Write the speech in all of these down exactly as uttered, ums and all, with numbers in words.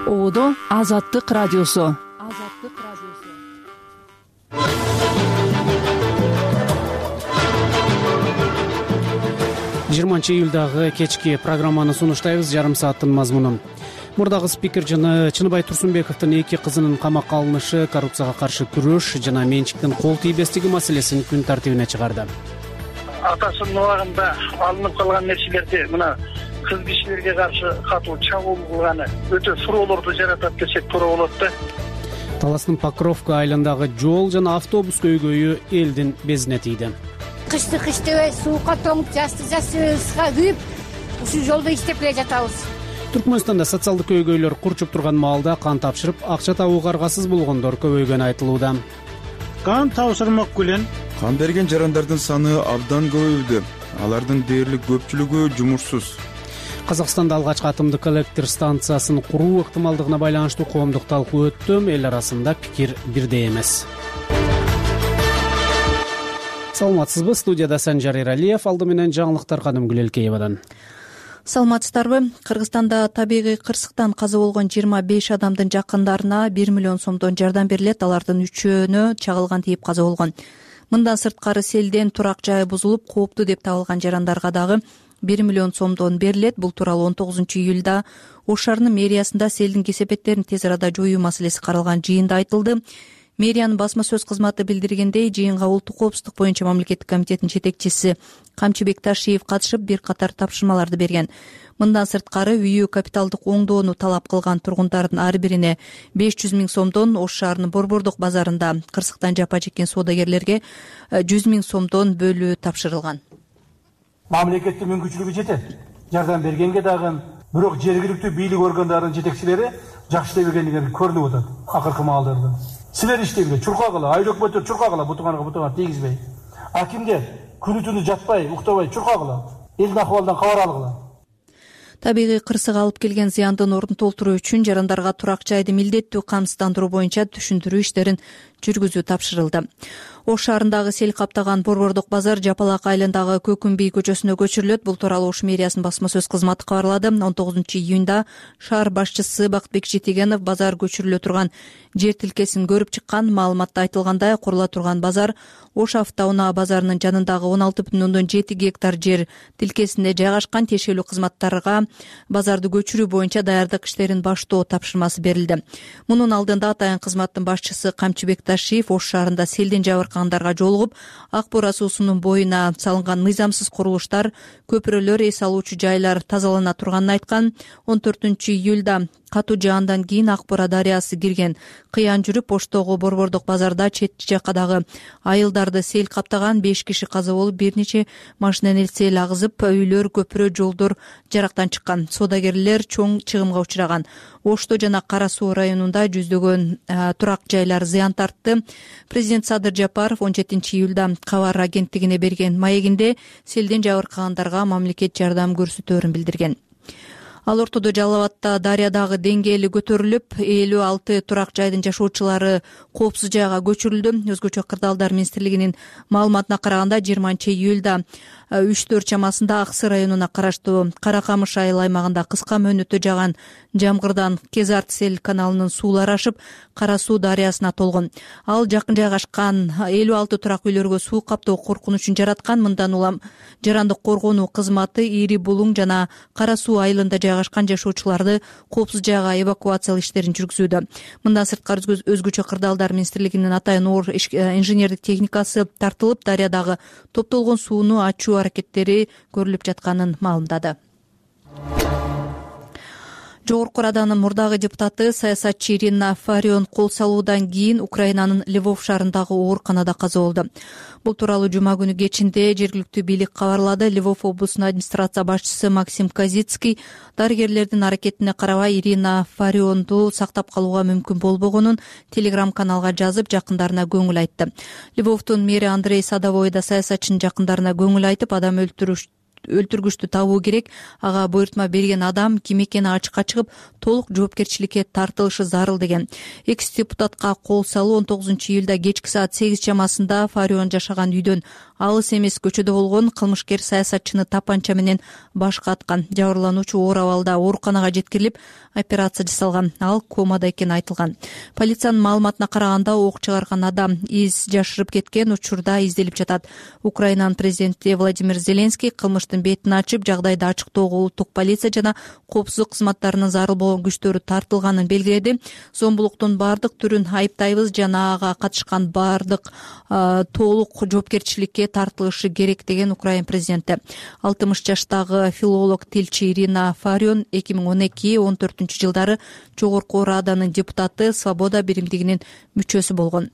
Оодо Азаттык радиосу. жыйырманчы июлдагы кечки программаны сунуштайбыз. Жарым сааттын мазмуну. Мурдагы спикер жана Чыныбай Турсунбековдун эки кызынын камакка алынышы, коррупцияга каршы күрөш жана менчиктин кол тийбестиги маселесин күн тартибине чыгарды. Атасынын убагында алынып калган нерселерди мына кыз кишилерге каршы катуу чабуул кылганы өтө суроолорду жаратат десек туура болот да. Таластын Покровка айылындагы жол жана автобус көйгөйү элдин безине тийди. Кышты кыш дебей суукка тоңуп, жазды жазга күйүп, ушул жолдо иштеп келе жатабыз. Түркмөнстанда социалдык көйгөйлөр курчуп турган маалда кан тапшырып, акча табууга аргасыз болгондор көбөйгөнү айтылууда. Кан тапшырмак менен кан берген жарандардын саны абдан көбөйдү. Алардын дээрлик көпчүлүгү жумушсуз. Казакстанда алгачкы атомдук электр станциясын куруу ыктымалдыгына байланыштуу коомдук талкуу өттү. Эл арасында пикир бирдей эмес. Саламатсызбы? Студияда Санжар Эралиев, алды менен жаңылыктар Кадымгүл Элкеевадан. Саламатсыздарбы? Кыргызстанда табигый кырсыктан каза болгон жыйырма беш адамдын жакындарына бир миллион сомдон жардам берилет. Алардын үчөөнө чагылган тийип каза болгон. Мындан сырткары селден турак жайы бузулуп, кооптуу деп табылган жарандарга дагы бир миллион сомдон берилет. Бул тууралуу он тогузунчу июлда Ош шаарынын мэриясында селдин кесепеттерин тез арада жоюу маселеси каралган жыйында айтылды. Мэриянын басма сөз кызматы билдиргендей, жыйынга улуттук коопсуздук боюнча мамлекеттик комитеттин жетекчиси Камчыбек Ташиев катышып, бир катар тапшырмаларды берген. Мындан сырткары үйү капиталдык оңдоону талап кылган тургундардын ар бирине беш жүз миң сомдон, Ош шаарынын Борбордук базарында кырсыктан жапа чеккен соодагерлерге жүз миң сомдон бөлүү тапшырылган. Мамлекеттин мүмкүнчүлүгү жетет. Жардам бергенге дагы, бирок жергиликтүү бийлик органдарынын жетекчилери жакшы иштебегендиги көрүнүп атат акыркы маалдарда. Силер иштеңдер, чуркагыла, айыл өкмөттөр чуркагыла, бутуганга бутуган тийгизбей. Акимдер күнү-түнү жатпай, уктабай чуркагыла, элдин акыбалынан кабар алгыла. Табигый кырсык алып келген зыяндын ордун толтуруу үчүн жарандарга турак жайды милдеттүү камсыздандыруу боюнча түшүндүрүү иштерин жүргүзүү тапшырылды. Ош шаарындагы сел каптаган Борбордук базар Жапалак айылындагы Көкүмбий көчөсүнө көчүрүлөт. Бул тууралуу Ош мэриясынын басма сөз кызматы кабарлады. он тогузунчу июнда шаар башчысы Бактыбек Жетегенов базар көчүрүлө турган жер тилкесин көрүп чыккан. Маалыматта айтылгандай, курула турган базар Ош автоунаа базарынын жанындагы он алты бүтүн ондон жети гектар жер тилкесинде жайгашкан. Тиешелүү кызматтарга базарды көчүрүү боюнча даярдык иштерин баштоо тапшырмасы берилди. Мунун алдында атайын кызматтын башчысы Камчыбек Ташиев Ош шаарында селден жабыркагандарга жолугуп, Ак Бура суусунун боюна салынган мыйзамсыз курулуштар, көпүрөлөр, эс алуучу жайлар тазалана турганын айткан. он төртүнчү июлда катуу жаандан кийин Ак Бура дарыясы кирген. Кыян жүрүп, Оштогу Борбордук базарда чет жакадагы айылдарды сел каптаган. беш киши каза болуп, бир нече машинанын сел агызып, үйлөр, көпүрө, жолдор жарактан чыккан. Соодагерлер чоң чыгымга учураган. Ошто жана Кара Суу районунда жүздөгөн турак жайлар зыян тартты. Президент Садыр Жапаров он жетинчи июлда кабар агенттигине берген маегинде селден жабыркагандарга мамлекет жардам көрсөтөөрүн билдирген. Ал ортодо Жалал Абадта дарыядагы деңгээли көтөрүлүп, элүү алты турак жайдын жашоочулары коопсуз жайга көчүрүлдү. Өзгөчө кырдаалдар министрлигинин маалыматына караганда, жыйырманчы июлда үч төрт чамасында Аксы районуна караштуу Каракамыш айыл аймагында кыска мөөнөттө жааган жамгырдан Кезарт сел каналынын суулары ашып, Кара Суу дарыясына толгон. Ал жакын жайгашкан элүү алты турак үйлөргө суу каптоо коркунучун жараткан. Мындан улам жарандык коргонуу кызматы Ири Булуң жана Кара Суу айылында жайгашкан жашоочуларды коопсуз жайга эвакуациялоо иштерин жүргүзүүдө. Мындан сырткары өзгөчө кырдаалдар министрлигинин атайын оор инженердик техникасы тартылып, дарыядагы топтолгон сууну ачуу аракеттери көрүлүп жатканын маалымдады. Жогорку Раданын мурдагы депутаты, саясатчы Ирина Фарион кол салуудан кийин Украинанын Львов шаарындагы ооруканада каза болду. Бул тууралуу жума күнү кечинде жергиликтүү бийлик кабарлады. Львов облусунун администрация башчысы Максим Казицкий дарыгерлердин аракетине карабай Ирина Фарионду сактап калууга мүмкүн болбогонун телеграм-каналга жазып, жакындарына көңүл айтты. Львовдун мэри Андрей Садовой да саясатчынын жакындарына көңүл айтып, адам өлтүрүш өлтүргүчтү табуу керек. Ага буйртма берген адам ким экени ачыкка чыгып, толук жоопкерчиликке тартылышы зарыл деген. Экс депутатка кол салуу он тогузунчу июлда кечки саат сегиз чамасында Фарион жашаган үйдөн алыс эмес көчөдө болгон кылмышкер саясатчыны тапанча менен башка аткан. Жабырлануучу оор абалда ооруканага жеткирилип, операция жасалган. Ал комада экени айтылган. Полициянын маалыматына караганда, ок чыгарган адам из жашырып кеткен, учурда изделип жатат. Украинанын президенти Владимир Зеленский кылмыштын бетин ачып, жагдайды ачыктоого улуттук полиция жана коопсуздук кызматтарынын зарыл болгон күчтөрү тартылганын белгиледи. Зомбулуктун бардык түрүн айыптайбыз жана ага катышкан бардык толук жоопкерчиликке тартылышы керек деген Украин президенти. алтымыш жаштагы филолог тилчи Ирина Фарион эки миң он эки он төртүнчү жылдары Жогорку Раданын депутаты, Свобода биримдигинин мүчөсү болгон.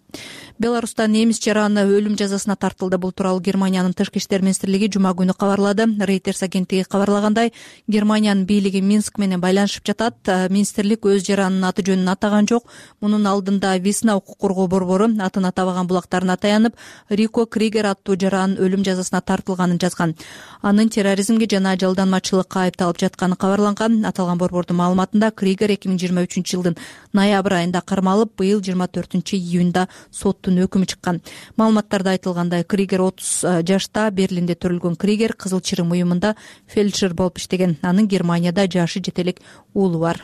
Беларуста немис жараны өлүм жазасына тартылды. Бул тууралуу Германиянын тышкы иштер министрлиги жума күнү кабарлады. Reuters агенттиги кабарлагандай, Германиянын бийлиги Минск менен байланышып жатат. Министрлик өз жаранынын аты жөнүн атаган жок. Мунун алдында Весна укук коргоо борбору атын атабаган булактарына таянып, Рико Кригер аттуу жаранын өлүм жазасына тартылганын жазган. Анын терроризмге жана жалданмачылыкка айыпталып жатканы кабарланган. Аталган борбордун маалыматында Кригер эки миң жыйырма үчүнчү жылдын ноябрь айында кармалып, быйыл жыйырма төртүнчү июнда соттун өкүмү чыккан. Маалыматтарда айтылгандай, Кригер отуз жашта Берлинде төрөлгөн. Кригер Кызыл Чырым уюмунда фельдшер болуп иштеген. Анын Германияда жашы жете элек уулу бар.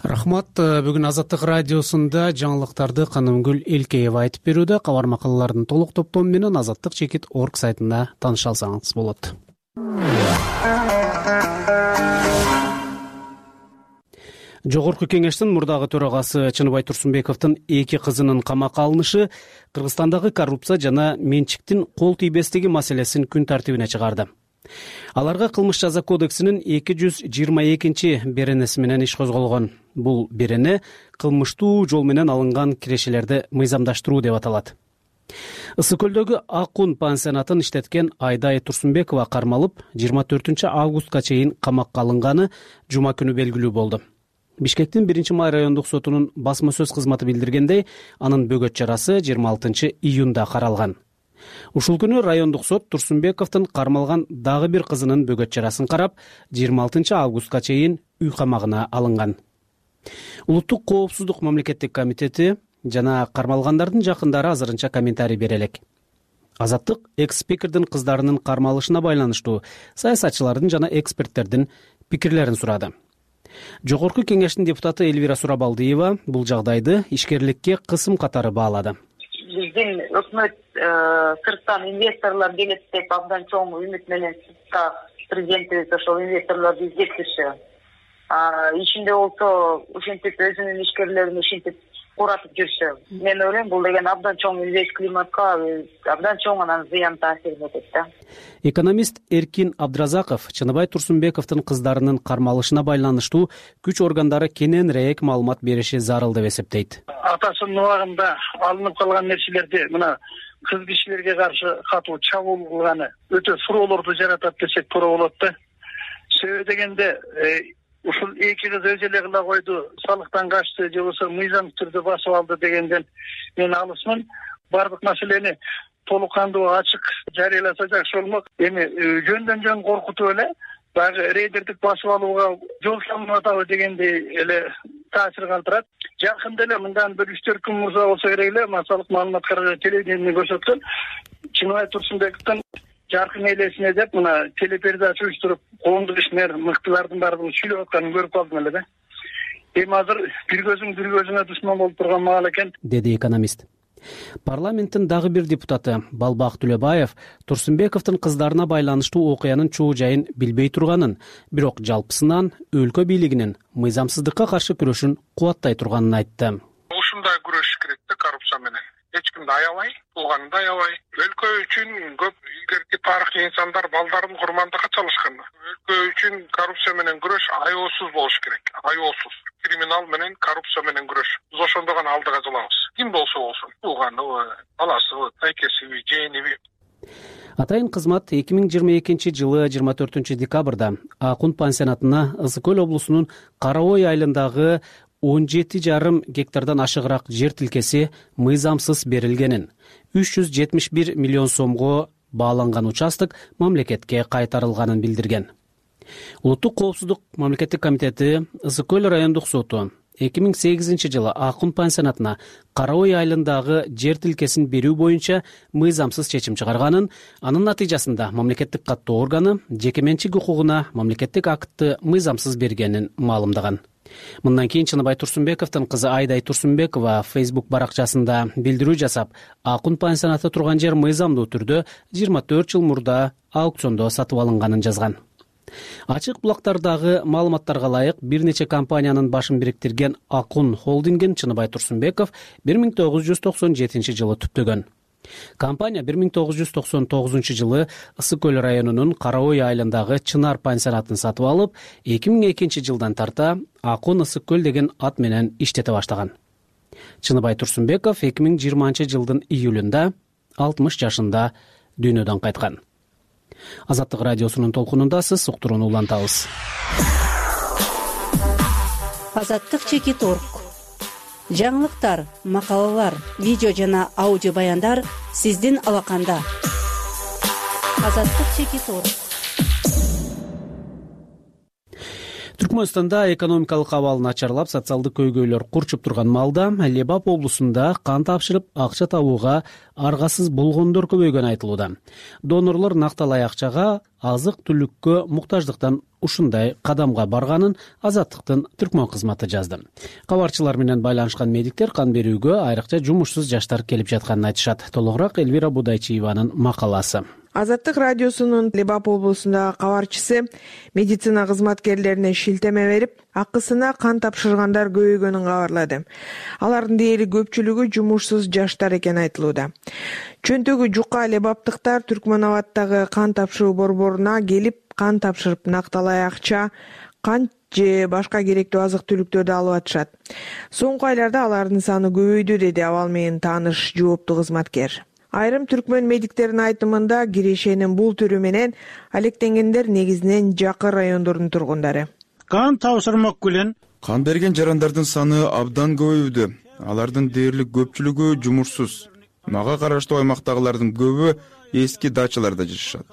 Рахмат. Бүгүн Азаттык радиосунда жаңылыктарды Канымгүл Элкеева айтып берүүдө. Кабар макалалардын толук топтому менен азаттык чекит точка орг сайтында тааныша алсаңыз болот. Жогорку кеңештин мурдагы төрагасы Чыныбай Турсунбековдун эки кызынын камакка алынышы Кыргызстандагы коррупция жана менчиктин кол тийбестиги маселесин күн тартибине чыгарды. Аларга кылмыш жаза кодексинин эки жүз жыйырма экинчи беренеси менен иш козголгон. Бул берене кылмыштуу жол менен алынган кирешелерди мыйзамдаштыруу деп аталат. Ысык көлдөгү Акун пансионатын иштеткен Айдай Турсунбекова кармалып, жыйырма төртүнчү августка чейин камакка алынганы жума күнү белгилүү болду. Бишкектин биринчи май райондук сотунун басма сөз кызматы билдиргендей, анын бөгөт чарасы жыйырма алтынчы июнда каралган. Ушул күнү райондук сот Турсунбековдун кармалган дагы бир кызынын бөгөт чарасын карап, жыйырма алтынчы августка чейин үй камагына алынган. Улуттук коопсуздук мамлекеттик комитети жана кармалгандардын жакындары азырынча комментарий бере элек. Азаттык экс-спикердин кыздарынын кармалышына байланыштуу саясатчылардын жана эксперттердин пикирлерин сурады. Жогорку кеңештин депутаты Эльвира Сурабалдиева бул жагдайды ишкерликке кысым катары баалады. Биздин өкмөт сырттан инвесторлор келет деп абдан чоң үмүт менен президентибиз ошол инвесторлорду издептирчү. Ичинде болсо ушинтип өзүнүн ишкерлерин ушинтип куратып жүрчү. Мен ойлойм, бул деген абдан чоң инвест климатка абдан чоң анан зыян таасирин этет да. Экономист Эркин Абдразаков Чыныбай Турсунбековдун кыздарынын кармалышына байланыштуу күч органдары кененирээк маалымат бериши зарыл деп эсептейт. Атасынын убагында алынып калган нерселерди мына кыз кишилерге каршы катуу чабуул кылганы өтө суроолорду жаратат десек туура болот да. Себеби дегенде ушул эки кыз өз эле кыла койду, салыктан качты же болбосо мыйзам түрдө басып алды дегенден мен алысмын. Бардык маселени толук кандуу ачык жарыяласа жакшы болмок. Эми жөндөн жөн коркутуп эле баягы рейдердик басып алууга жол салынып атабы дегендей эле таасир калтырат. Жакында эле мындан бир үч төрт күн мурда болсо керек эле массалык маалымат каражат телевидение көрсөткөн Чыныбай Турсунбековдун жаркын элесине деп мына телепередача уюштуруп коомдук ишмер мыктылардын баардыгын сүйлөп атканын көрүп калдым эле да. Эми азыр бир көзүң бир көзүңө душман болуп турган маал экен, деди экономист. Парламенттин дагы бир депутаты Балбак Түлөбаев Турсунбековдун кыздарына байланыштуу окуянын чоо жайын билбей турганын, бирок жалпысынан өлкө бийлигинин мыйзамсыздыкка каршы күрөшүн кубаттай турганын айтты. Ушундай күрөш керек да коррупция менен. Эч кимди аябай, тууганын да аябай. Өлкө үчүн көп илгерки тарыхый инсандар балдарын курмандыкка чалышкан. Өлкө үчүн коррупция менен күрөш аеосуз болуш керек. Аеосуз. Криминал менен коррупция менен күрөш. Биз ошондо гана алдыга жылабыз. Ким болсо болсун. Тууганыбы, баласыбы, тайкесиби, жээниби. Атайын кызмат эки миң жыйырма экинчи жылы жыйырма төртүнчү декабрда Акун пансионатына Ысык көл облусунун Кара Ой айылындагы он жети жарым гектардан ашыгыраак жер тилкеси мыйзамсыз берилгенин, үч жүз жетимиш бир миллион сомго бааланган участок мамлекетке кайтарылганын билдирген. Улуттук коопсуздук мамлекеттик комитети Ысык көл райондук соту эки миң сегизинчи жылы Акун пансионатына Кара Ой айылындагы жер тилкесин берүү боюнча мыйзамсыз чечим чыгарганын, анын натыйжасында мамлекеттик каттоо органы жеке менчик укугуна мамлекеттик актты мыйзамсыз бергенин маалымдаган. Мындан кийин Чыныбай Турсунбековдун кызы Айдай Турсунбекова Facebook баракчасында билдирүү жасап, Акун пансионаты турган жер мыйзамдуу түрдө жыйырма төрт жыл мурда аукциондо сатып алынганын жазган. Ачык булактардагы маалыматтарга ылайык бир нече компаниянын башын бириктирген Акун холдингин Чыныбай Турсунбеков бир миң тогуз жүз токсон жетинчи жылы түптөгөн. Компания бир миң тогуз жүз токсон тогузунчу жылы Ысык көл районунун Кара Ой айылындагы Чынар пансионатын сатып алып, эки миң экинчи жылдан тарта Акун Ысык көл деген ат менен иштете баштаган. Чыныбай Турсунбеков эки миң жыйырманчы жылдын июлунда алтымыш жашында дүйнөдөн кайткан. Азаттык радиосунун толкунундасыз, уктурууну улантабыз. Азаттык чекит орг. Жаңылыктар, макалалар, видео жана аудио баяндар сиздин алаканда. Азаттык чекит орг. Түркмөнстанда экономикалык абал начарлап, социалдык көйгөйлөр курчуп турган маалда Лебап облусунда кан тапшырып акча табууга аргасыз болгондор көбөйгөнү айтылууда. Донорлор накталай акчага азык-түлүккө муктаждыктан ушундай кадамга барганын Азаттыктын Түркмөн кызматы жазды. Кабарчылар менен байланышкан медиктер кан берүүгө айрыкча жумушсуз жаштар келип жатканын айтышат. Толугураак Элвира Будайчиеванын макаласы. Азаттык радиосунун Лебап облусундагы кабарчысы медицина кызматкерлерине шилтеме берип, акысына кан тапшыргандар көбөйгөнүн кабарлады. Алардын дээрлик көпчүлүгү жумушсуз жаштар экени айтылууда. Чөнтөгү жука лебаптыктар Түркмөн абаддагы кан тапшыруу борборуна келип, кан тапшырып накталай акча, кан же башка керектүү азык-түлүктөрдү алып атышат. Соңку айларда алардын саны көбөйдү, деди абал менен тааныш жооптуу кызматкер. Айрым түркмөн медиктеринин айтымында кирешенин бул түрү менен алектенгендер негизинен жакын райондордун тургундары. Кан тапшырмак белән кан берген жарандардын саны абдан көбөйдү. Алардын дээрлик көпчүлүгү жумушсуз. Мага караштуу аймактагылардын көбү эски дачаларда жашашат.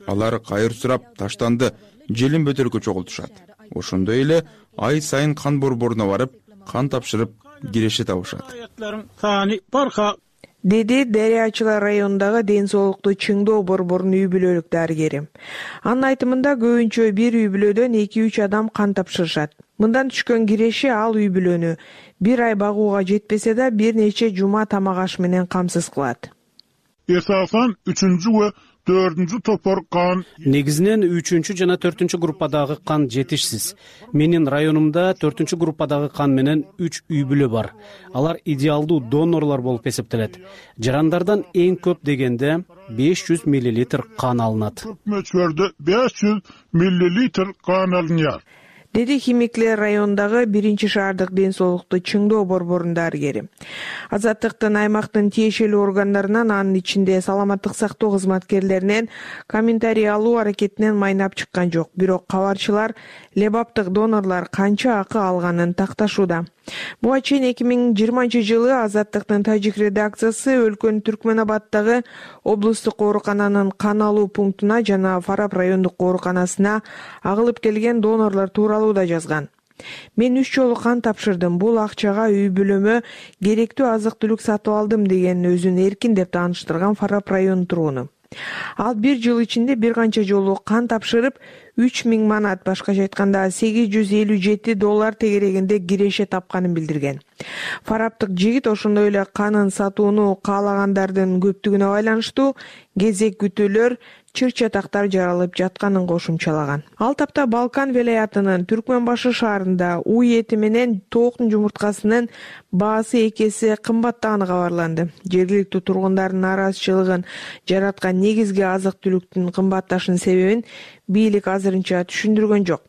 Алар кайыр сурап, таштанды, желин бөтөлкө чогултушат. Ошондой эле ай сайын кан борборуна барып, кан тапшырып киреше табышат. Деди Дарыячылар районундагы ден соолукту чыңдоо борборунун үй бүлөлүк дарыгери. Анын айтымында көбүнчө бир үй бүлөдөн эки үч адам кан тапшырышат. Мындан түшкөн киреше ал үй бүлөнү бир ай багууга жетпесе да бир нече жума тамак аш менен камсыз кылат. Эсасан үчүнчү ва төртүнчү топор кан. Негизинен үчүнчү жана төртүнчү группадагы кан жетишсиз. Менин районумда төртүнчү группадагы кан менен үч үй бүлө бар. Алар идеалдуу донорлор болуп эсептелет. Жарандардан эң көп дегенде беш жүз миллилитр кан алынат. Мөчөрдө беш жүз миллилитр кан алынат. Деди Химиклер районундагы биринчи шаардык ден соолукту чыңдоо борборунун дарыгери. Азаттыктын аймактын тиешелүү органдарынан, анын ичинде саламаттык сактоо кызматкерлеринен комментарий алуу аракетинен майнап чыккан жок. Бирок кабарчылар лебаптык донорлор канча акы алганын такташууда. Буга чейин эки миң жыйырманчы жылы Азаттыктын тажик редакциясы өлкөнүн Түркмөн абаддагы облустук оорукананын кан алуу пунктуна жана Фарап райондук ооруканасына агылып келген донорлор тууралуу да жазган. Мен үч жолу кан тапшырдым. Бул акчага үй бүлөмө керектүү азык-түлүк сатып алдым, деген өзүн эркин деп тааныштырган Фарап районунун тургуну. Ал бир жыл ичинде бир канча жолу кан тапшырып, үч миң манат, башкача айтканда сегиз жүз элүү жети доллар тегерегинде киреше тапканын билдирген. Фараптык жигит ошондой эле канын сатууну каалагандардын көптүгүнө байланыштуу кезек күтүүлөр, чыр-чатактар жаралып жатканын кошумчалаган. Ал тапта Балкан велаятынын Түркмөн башы шаарында уй эти менен тооктун жумурткасынын баасы эки эсе кымбаттаганы кабарланды. Жергиликтүү тургундардын нааразычылыгын жараткан негизги азык-түлүктүн кымбатташынын себебин бийлик азырынча түшүндүргөн жок.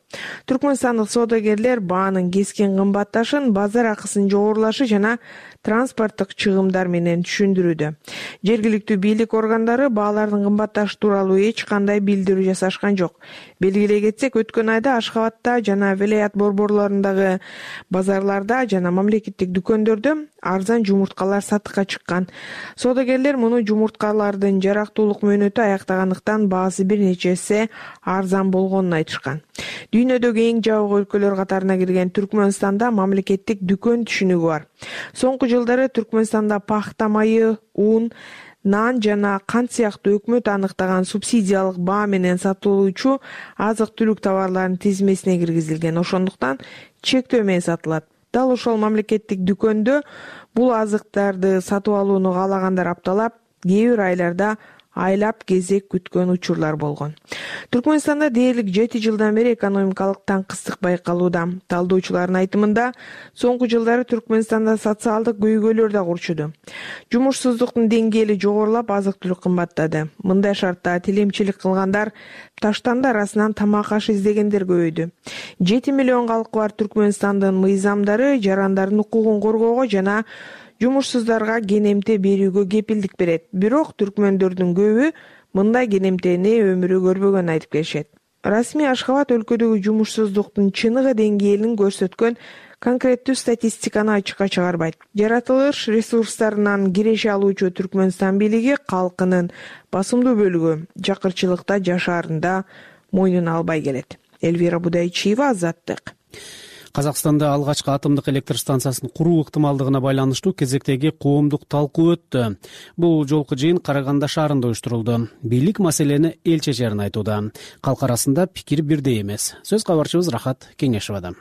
Түркмөнстандык соодагерлер баанын кескин кымбатташын базар акысынын жогорулашы жана транспорттук чыгымдар менен түшүндүрүүдө. Жергиликтүү бийлик органдары баалардын кымбатташы тууралуу эч кандай билдирүү жасашкан жок. белгилей кетсек, өткөн айда Ашхабадта жана Велаят борборлорундагы базарларда жана мамлекеттик дүкөндөрдө арзан жумурткалар сатыкка чыккан. Соодагерлер муну жумурткалардын жарактуулук мөөнөтү аяктагандыктан баасы бир нече эсе арзан болгонун айтышкан. Дүйнөдөгү эң жабык өлкөлөр катарына кирген Түркмөнстанда мамлекеттик дүкөн түшүнүгү бар. Соңку жылдары Түркмөнстанда пахта майы, ун, нан жана кант сыяктуу өкмөт аныктаган субсидиялык баа менен сатылуучу азык-түлүк товарларынын тизмесине киргизилген. Ошондуктан чектөө менен сатылат. Дал ошол мамлекеттик дүкөндө бул азыктарды сатып алууну каалагандар апталап, кээ бир айларда айлап кезек күткөн учурлар болгон. Түркмөнстанда дээрлик жети жылдан бери экономикалык таңкыстык байкалууда. Талдоочулардын айтымында, соңку жылдары Түркмөнстанда социалдык көйгөйлөр да курчуду. Жумушсуздуктун деңгээли жогорулап, азык-түлүк кымбаттады. Мындай шартта тилемчилик кылгандар таштанды арасынан тамак аш издегендер көбөйдү. жети миллион калкы бар Түркмөнстандын мыйзамдары жарандардын укугун коргоого жана жумушсуздарга кенемте берүүгө кепилдик берет. Бирок түркмөндөрдүн көбү мындай кенемтени өмүрү көрбөгөнүн айтып келишет. Расмий Ашхабад өлкөдөгү жумушсуздуктун чыныгы деңгээлин көрсөткөн конкреттүү статистиканы ачыкка чыгарбайт. Жаратылыш ресурстарынан киреше алуучу Түркмөнстан бийлиги калкынын басымдуу бөлүгү жакырчылыкта жашаарында мойнуна албай келет. Эльвира Будайчиева, Азаттык. Казакстанда алгачкы атомдук электр станциясын куруу ыктымалдыгына байланыштуу кезектеги коомдук талкуу өттү. Бул жолку жыйын Караганда шаарында уюштурулду. Бийлик маселени эл чечерин айтууда. Калк арасында пикир бирдей эмес. Сөз кабарчыбыз Рахат Кеңешовада.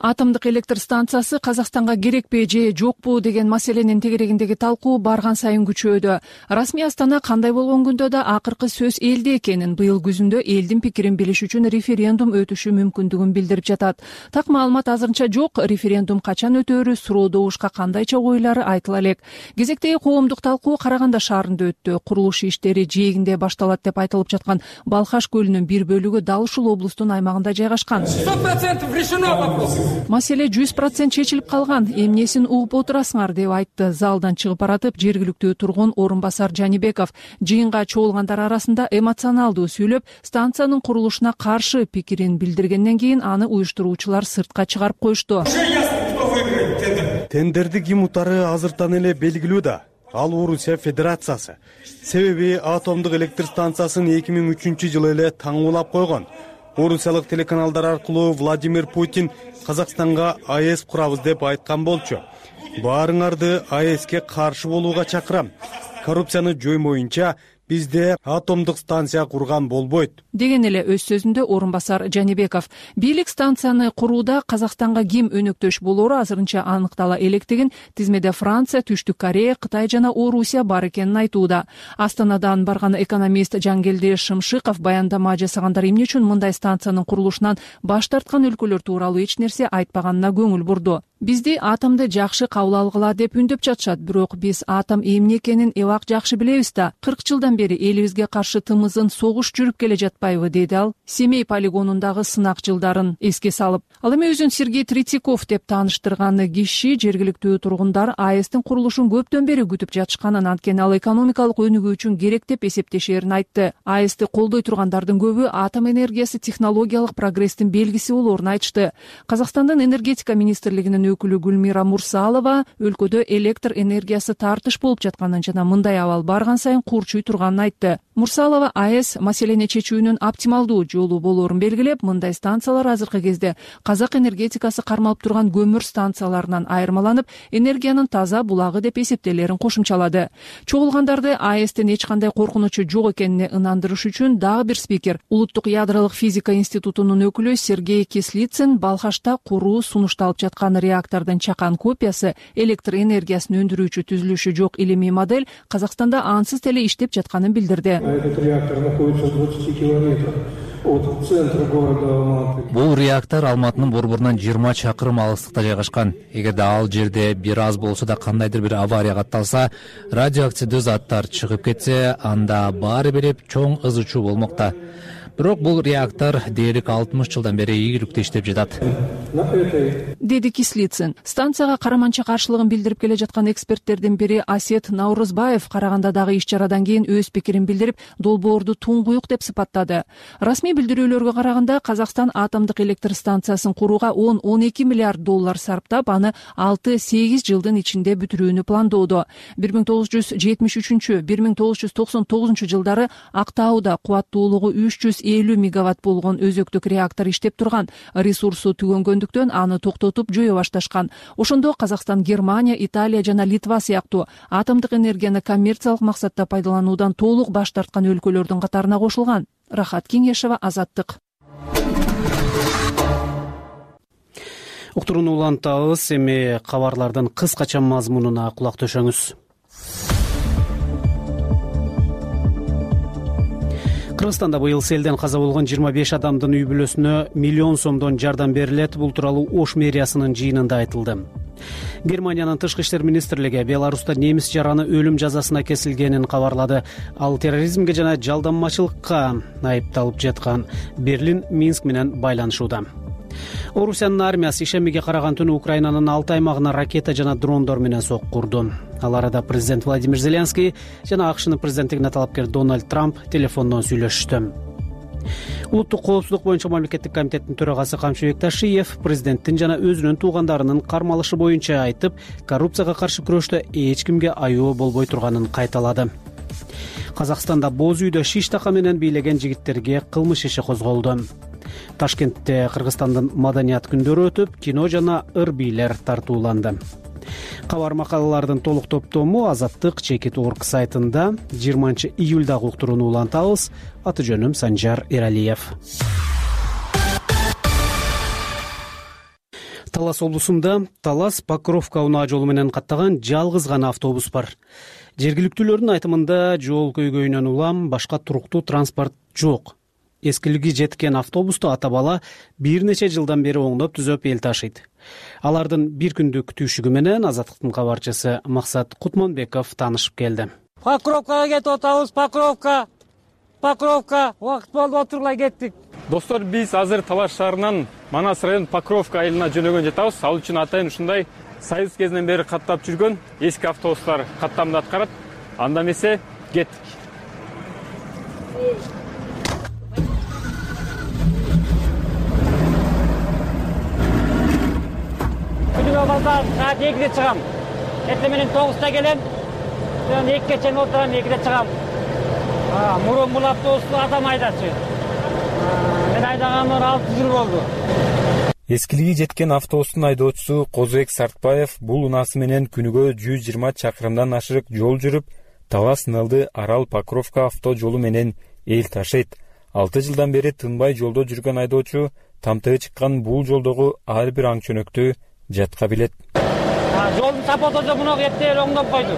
Атомдук электр станциясы Казакстанга керекпи же жокпу деген маселенин тегерегиндеги талкуу барган сайын күчөдү. Расмий Астана кандай болгон күндө да акыркы сөз элде экенин, быйыл күзүндө элдин пикирин билиш үчүн референдум өтүшү мүмкүндүгүн билдирип жатат. Так маалымат азырынча жок. Референдум качан өтөөрү суроо добушка кандайча ойлары айтыла элек. Кезектеги коомдук талкуу Караганда шаарында өттү. Курулуш иштери жээгинде башталат деп айтылып жаткан Балхаш көлүнүн бир бөлүгү дал ушул облустун аймагында жайгашкан. сто процентов решено вопрос. Маселе жүз процент чечилип калган, эмнесин угуп отурасыңар деп айтты залдан чыгып баратып жергиликтүү тургун орун басар Жанибеков. Жыйынга чогулгандар арасында эмоционалдуу сүйлөп, станциянын курулушуна каршы пикирин билдиргенден кийин аны уюштуруучулар сыртка чыгарып коюшту. Тендерди ким утары азыртан эле белгилүү да. Ал Орусия Федерациясы. Себеби атомдук электр станциясын эки миң үчүнчү жылы эле таңуулап койгон. Орусиялык телеканалдар аркылуу Владимир Путин Казакстанга АЭС курабыз деп айткан болчу. Баарыңарды АЭСке каршы болууга чакырам. Коррупцияны жоймоюнча бизде атомдук станция курган болбойт деген эле өз сөзүндө орун басар Жанибеков. Бийлик станцияны курууда Казакстанга ким өнөктөш болоору азырынча аныктала электигин, тизмеде Франция, Түштүк Корея, Кытай жана Орусия бар экенин айтууда. Астанадан барган экономист Жангелди Шымшыков баяндама жасагандар эмне үчүн мындай станциянын курулушунан баш тарткан өлкөлөр тууралуу эч нерсе айтпаганына көңүл бурду. Бизди атомду жакшы кабыл алгыла деп үндөп жатышат, бирок биз атом эмне экенин эбак жакшы билебиз да. кырк жылдан бери элибизге каршы тымызын согуш жүрүп келе жатпайбы, деди ал Семей полигонундагы сынак жылдарын эске салып. Ал эми өзүн Сергей Третьяков деп тааныштырган киши жергиликтүү тургундар АЭСтин курулушун көптөн бери күтүп жатышканын, анткени ал экономикалык өнүгүү үчүн керек деп эсептешерин айтты. АЭСти колдой тургандардын көбү атом энергиясы технологиялык прогресстин белгиси болоорун айтышты. Казакстандын энергетика министрлигинин өкүлү Гүлмира Мурсалова өлкөдө электр энергиясы тартыш болуп жатканын жана мындай абал барган сайын курчуй турганын айтты. Мурсалова АЭС маселени чечүүнүн оптималдуу жолу болоорун белгилеп, мындай станциялар азыркы кезде казак энергетикасы кармалып турган көмүр станцияларынан айырмаланып, энергиянын таза булагы деп эсептелерин кошумчалады. Чогулгандарды АЭСтен эч кандай коркунучу жок экенине ынандырыш үчүн дагы бир спикер, Улуттук ядролук физика институтунун өкүлү Сергей Кислицын Балхашта куруу сунушталып жаткан реактордун чакан копиясы, электр энергиясын өндүрүүчү түзүлүшү жок илимий модель Казакстанда ансыз теле иштеп жатканын билдирди. Этот реактор находится в двадцати километрах от центра города Алматы. Бул реактор Алматынын борборунан жыйырма чакырым алыстыкта жайгашкан. Эгерде ал жерде бир аз болсо да кандайдыр бир авария катталса, радиоактивдүү заттар чыгып кетсе, анда баары билип чоң ызы чуу болмокта. Бирок бул реактор дээрлик алтымыш жылдан бери ийгиликтүү иштеп жатат, деди Кислицын. Станцияга караманча каршылыгын билдирип келе жаткан эксперттердин бири Асет Наурузбаев Карагандадагы иш-чарадан кийин өз пикирин билдирип, долбоорду туңгуюк деп сыпаттады. Расмий билдирүүлөргө караганда, Казакстан атомдук электр станциясын курууга он он эки миллиард доллар сарптап, аны алты сегиз жылдын ичинде бүтүрүүнү пландоодо. бир миң тогуз жүз жетимиш үчүнчү — бир миң тогуз жүз токсон тогузунчу жылдары Актауда кубаттуулугу үч жүз элүү мегаватт болгон өзөктүк реактор иштеп турган. Ресурсу түгөнгөндүктөн аны токтотуп жое башташкан. Ошондо Казакстан Германия, Италия жана Литва сыяктуу атомдук энергияны коммерциялык максатта пайдалануудан толук баш тарткан өлкөлөрдүн катарына кошулган. Рахат Кеңешева, Азаттык. Уктурууну улантабыз. Эми кабарлардын кыскача мазмунуна кулак төшөңүз. Кыргызстанда быйыл селден каза болгон жыйырма беш адамдын үй бүлөсүнө миллион сомдон жардам берилет. Бул тууралуу Ош мэриясынын жыйынында айтылды. Германиянын тышкы иштер министрлиги Беларуста немис жараны өлүм жазасына кесилгенин кабарлады. Ал терроризмге жана жалданмачылыкка айыпталып жаткан. Берлин Минск менен байланышууда. Орусиянын армиясы ишемиге караган түнү Украинанын алты аймагына ракета жана дрондор менен сокку курду. Ал арада президент Владимир Зеленский жана АКШнын президенттигине талапкер Дональд Трамп телефондон сүйлөшүштү. Улуттук коопсуздук боюнча мамлекеттик комитеттин төрагасы Камчыбек Ташиев президенттин жана өзүнүн туугандарынын кармалышы боюнча айтып, коррупцияга каршы күрөштө эч кимге аюу болбой турганын кайталады. Казакстанда боз үйдө шиш така менен бийлеген жигиттерге кылмыш иши козголду. Ташкентте Кыргызстандын маданият күндөрү өтүп, кино жана ыр бийлер тартууланды. Кабар макалалардын толук топтому Азаттык Чекит орг сайтында жыйырманчы июлдагы уктурууну улантабыз. Аты жөнүм Санжар Эралиев. Талас облусунда Талас Покровка унаа жолу менен каттаган жалгыз гана автобус бар. Жергиликтүүлөрдүн айтымында жол көйгөйүнөн улам башка туруктуу транспорт жок. Эскилиги жеткен автобусту ата бала бир нече жылдан бери оңдоп түзөп эл ташыйт. Алардын бир күндүк күтүүшүгү менен Азаттыктын кабарчысы Максат Кутманбеков таанышып келди. Покровкага кетип атабыз, Покровка. Покровка, убакыт болду, отургула кеттик. Достор, биз азыр Талаш шаарынан Манас район Покровка айылына жөнөгөн жатабыз. Ал үчүн атайын ушундай Союз кезинен бери каттап жүргөн эски автобустар каттамды аткарат. Анда эмесе кеттик. Күнүгө базар саат экиде чыгам. Эртең менен тогузда келем. Мен экиге чейин отурам, экиде чыгам. Мурун бул автобусту адам айдачу. Мен айдаганыма алты жыл болду. Эскилиги жеткен автобустун айдоочусу Козбек Сартбаев бул унаасы менен күнүгө жүз жыйырма чакырымдан ашык жол жүрүп, Талас Нылды Арал Покровка авто жолу менен эл ташыйт. алты жылдан бери тынбай жолдо жүргөн айдоочу тамтыгы чыккан бул жолдогу ар бир аң чөнөктү жатка билет. Жолдун сапаты муну кетти, оңдоп койду.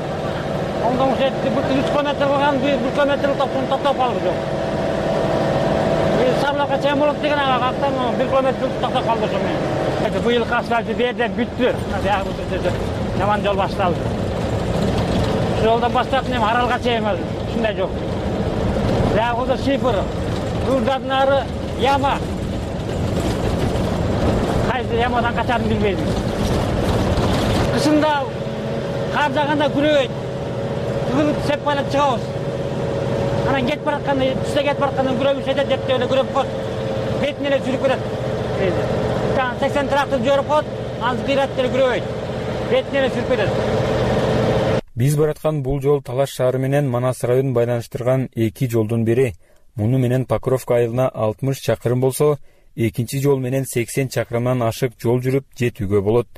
Оңдоп жетти, бул үч километр кылган, бир километр токтоп калды жол. Сабылакка чейин болот деген ага актан бир километр токтоп калды ошону. Быйыл асфальты берди, бүттү. Жаман жол башталды. Жолдон баштап эми Аралга чейин ушундай жол. Ягы шифр, Гүлдардын ары яма. Кайсы ямадан качарын билбейм. Кышында кар жааганда күрөйт. Тыгылып сеп байлап чыгабыз. Анан кетип баратканда, түстө кетип баратканда күрөбүз жетет, деп эле күрөп коет. Бетине эле жүрүп кетет. Жана сексен трактор жөрүп коет, анысы кыйрат деле күрөбөйт. Бетине эле жүрүп кетет. Биз бараткан бул жол Талаш шаары менен Манас районун байланыштырган эки жолдун бири. Муну менен Покровка айылына алтымыш чакырым болсо, экинчи жол менен сексен чакырымдан ашык жол жүрүп жетүүгө болот.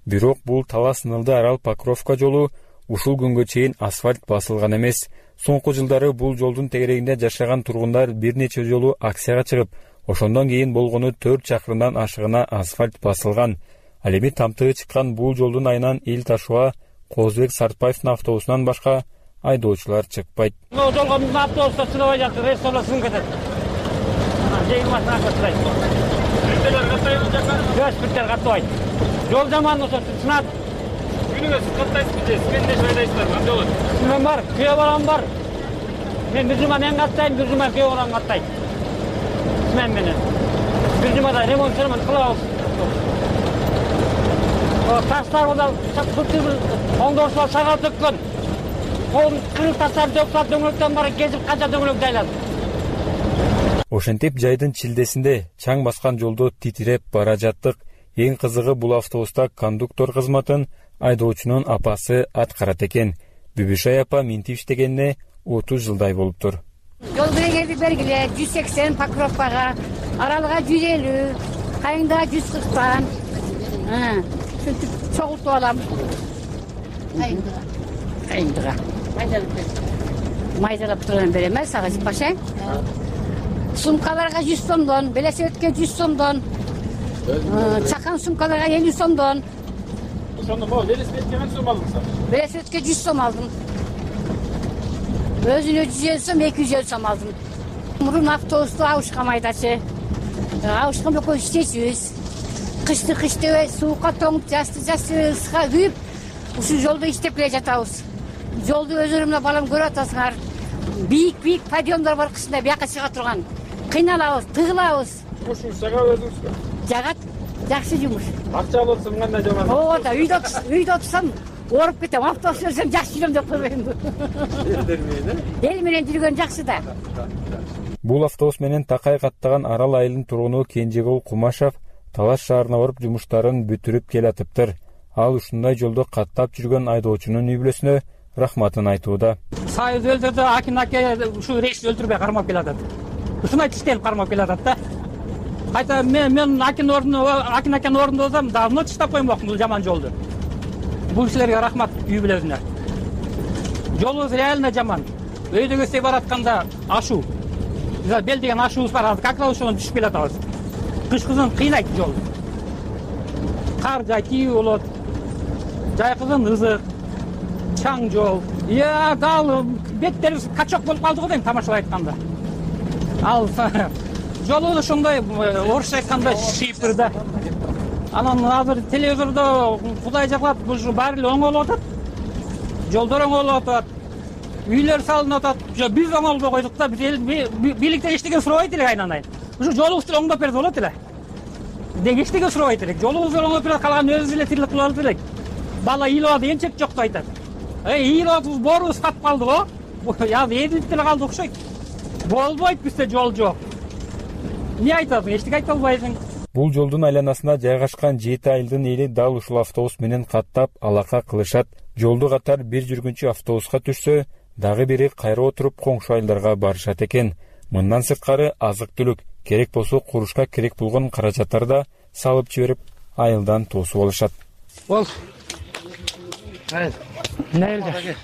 Бирок бул Талас Нылды Арал Покровка жолу ушул күнгө чейин асфальт басылган эмес. Соңку жылдары бул жолдун тегерегинде жашаган тургундар бир нече жолу акцияга чыгып, ошондон кийин болгону төрт чакырымдан ашыгына асфальт басылган. Ал эми тамтыгы чыккан бул жолдун айынан эл ташууга Козбек Сартбаевдин автобусунан башка айдоочулар чыкпайт. Бул жолго автобустар чыгабай жатыр, рейстерler сынып кетет. жыйырмасына каттайт. Биртелер каттайбы жака? Жок, биртелер каттабайт. Жол жаман ошо сынат. Күнүгө сиз каттайсызбы же? Сиз менде шайдайсыздар, кандай болот? Мен бар, күйөө балам бар. Мен бир жума мен каттайм, бир жума күйөө балам каттайт. смен менен бир жумада ремонт ремонт кылабыз. Таштар да оңдоосуна сагат өткөн. Колун кырып таштарды жоктап дөңгөлөктөн бара кезип канча дөңгөлөк жайлады. Ошентип жайдын чилдесинде чаң баскан жолдо титиреп бара жаттык. Эң кызыгы бул автобуста кондуктор кызматын айдоочунун апасы аткарат экен. Бүбүшай апа минтип иштегенине отуз жылдай болуптур. Жол белгиleri бергиле жүз сексен Покровкага, Аралга жүз элүү, Кайыңдага жүз кырктан. Сөйтүп чогултуп алам. Кайыңдага. Кайыңдага. Майдалап турган берем эс ага Пашаң. Сумкаларга жүз сомдон, велосипедке жүз сомдон. Чакан сумкаларга элүү сомдон. Ошондо могу велосипедке канча сом алдыңыз? Велосипедке жүз сом алдым. Өзүнө жүз элүү сом, эки жүз элүү сом алдым. Мурун автобусту Абышка майдачы. Абышка экөө иштечүбүз. Кышты кыштыбай суукка тоңуп, жазды жазды ыска күйүп, ушул жолдо иштеп келе жатабыз. Жолду өздөрү менен балам көрүп атасыңар. Бийик-бийик подъемдор бар кышында бияка чыга турган. Кыйналабыз, тыгылабыз. Ушул жагат өзүңүзгө? Жагат, жакшы жумуш. Акча алып кандай жаман? Ооба да, үйдө үйдө отурсам ооруп кетем, автобус жүрсөм жакшы жүрөм деп койбойм. Элдер менен, э? Эл менен жүргөн жакшы да. Бул автобус менен Такай каттаган Арал айылынын тургуну Кенжегул Кумашев Талаш шаарына барып жумуштарын бүтүрүп келатыптыр. Ал ушундай жолдо каттап жүргөн айдоочунун үй бүлөсүнө рахматын айтууда. Сайыз өлтүрдү, Акин аке ушул рейс өлтүрбөй кармап келатат. Ушундай тиштелип кармап келатат да. Кайта мен мен Акин ордуна, Акин акенин ордунда болсом, давно тиштап коймокмун бул жаман жолду. Бул кишилерге рахмат үй бүлөсүнө. Жолубуз реально жаман. Өйдө көздөй баратканда ашуу. Биз бел деген ашуубуз бар, как раз ошондон түшүп келатабыз. Кыш кызын кыйнайт жол. Кар жай тийүү болот. Жай кызын ызык, чаң жол. Я дал беттерибиз качок болуп калды го дейм тамашалап айтканда. Ал жолу ошондой орусча айтканда шипер да. Анан азыр телевизордо Кудай жаклап ушу баары эле оң болуп атат. Жолдор оң болуп атат. Үйлөр салынып атат. Биз оңолбой койдук да, биз бийликтен эчтеке сурабайт элек айнан-айын. Ушу жолубузду оңдоп берсе болот эле. Деги эчтеке сурабайт элек. Жолубузду оңдоп берсе калган өзүбүз эле тирлик кылып алат элек. Бала ыйлап атат, эмчек жок деп айтат. Эй, ыйлап атабыз, боорубуз катып калды го. Я эдилип деле калды окшойт. Болбойт бизде жол жок. Эмне айтасың? Эчтеке айта албайсың. Бул жолдун айланасында жайгашкан жети айылдын эли дал ушул автобус менен каттап алака кылышат. Жолду катар бир жүргүнчү автобуска түшсө, дагы бири кайра отуруп коңшу айылдарга барышат экен. Мындан сырткары азык-түлүк, керек болсо курушка керек болгон каражаттарды да салып жиберип, айылдан тосуп алышат. Бол. Нелде?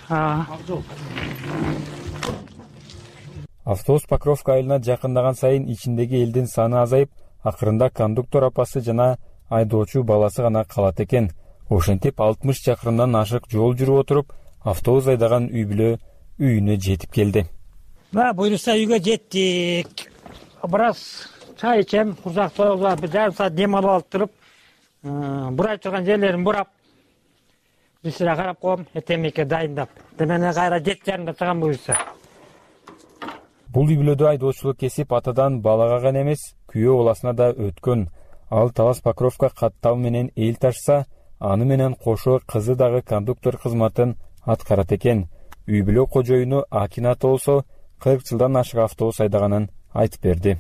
Автобус Покровка айылына жакындаган сайын ичиндеги элдин саны азайып, акырында кондуктор апасы жана айдоочу баласы гана калат экен. Ошентип алтымыш чакырымдан ашык жол жүрүп отуруп, автобус айдаган үй бүлө үйүнө жетип келди. Ба, буюрса үйгө жеттик. Бир аз чай ичем, курсак тоюлган, бир жарым саат дем алып алып туруп, бурайып турган жерлерин бурап, бисире карап коем, этемекке дайындап. Демене кайра жети жарымда чыгам буюрса. Бул үй бүлөдө айдоочулук кесип атадан балага гана эмес, күйөө баласына да өткөн. Ал Талас Покровка каттал менен эл ташса, аны менен кошо кызы дагы кондуктор кызматын аткарат экен. Үй бүлө кожоюну Акин ата болсо, кырк жылдан ашык автобус айдаганын айтып берди.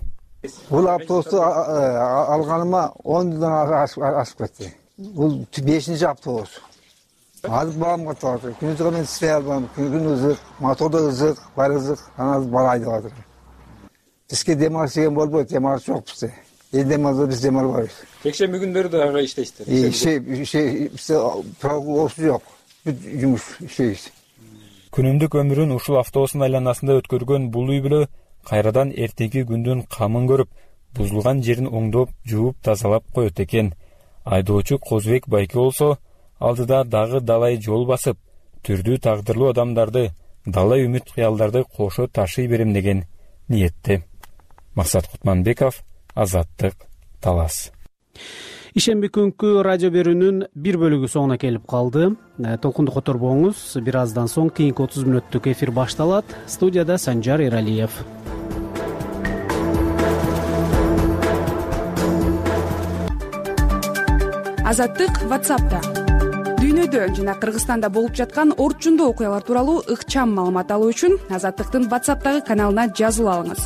Бул автобусту алганыма он жылдан ашып кетти. Бул бешинчи автобус. Азыр балам катып атат. Күнүзгө мен иштей албайм. Күн ызык, мотордо ызык, бар ызык, анан бала айдап атат. Бизге дем алыш деген болбойт, дем алыш жок бизде. Эл дем алса биз дем албайбыз. Жекшемби күндөрү да ага иштейсиздер. Иши, иши, бизде прогулосу жок. Бүт жумуш иштейбиз. Күнүмдүк өмүрүн ушул автобустун айланасында өткөргөн бул үй бүлө кайрадан эртеңки күндүн камын көрүп, бузулган жерин оңдоп, жууп, тазалап коет экен. Айдоочу Козбек Байке болсо, алдыда дагы далай жол басып, түрдүү тагдырлуу адамдарды, дала үмүт кыялдарды кошо ташый берем деген ниетте. Максат Кутманбеков, Азаттык, Талас. Ишемби күnkү радио берүүнүн бир бөлүгү соңуна келип калды. Толкунду которбоңуз. Бир аздан соң кийинки отуз мүнөттүк эфир башталат. Студияда Санжар Эралиев. Азаттык WhatsApp'та. Дүйнөдө жана Кыргызстанда болуп жаткан орчундуу окуялар тууралуу ыкчам маалымат алуу үчүн Азаттыктын WhatsApp'тагы каналына жазылып алыңыз.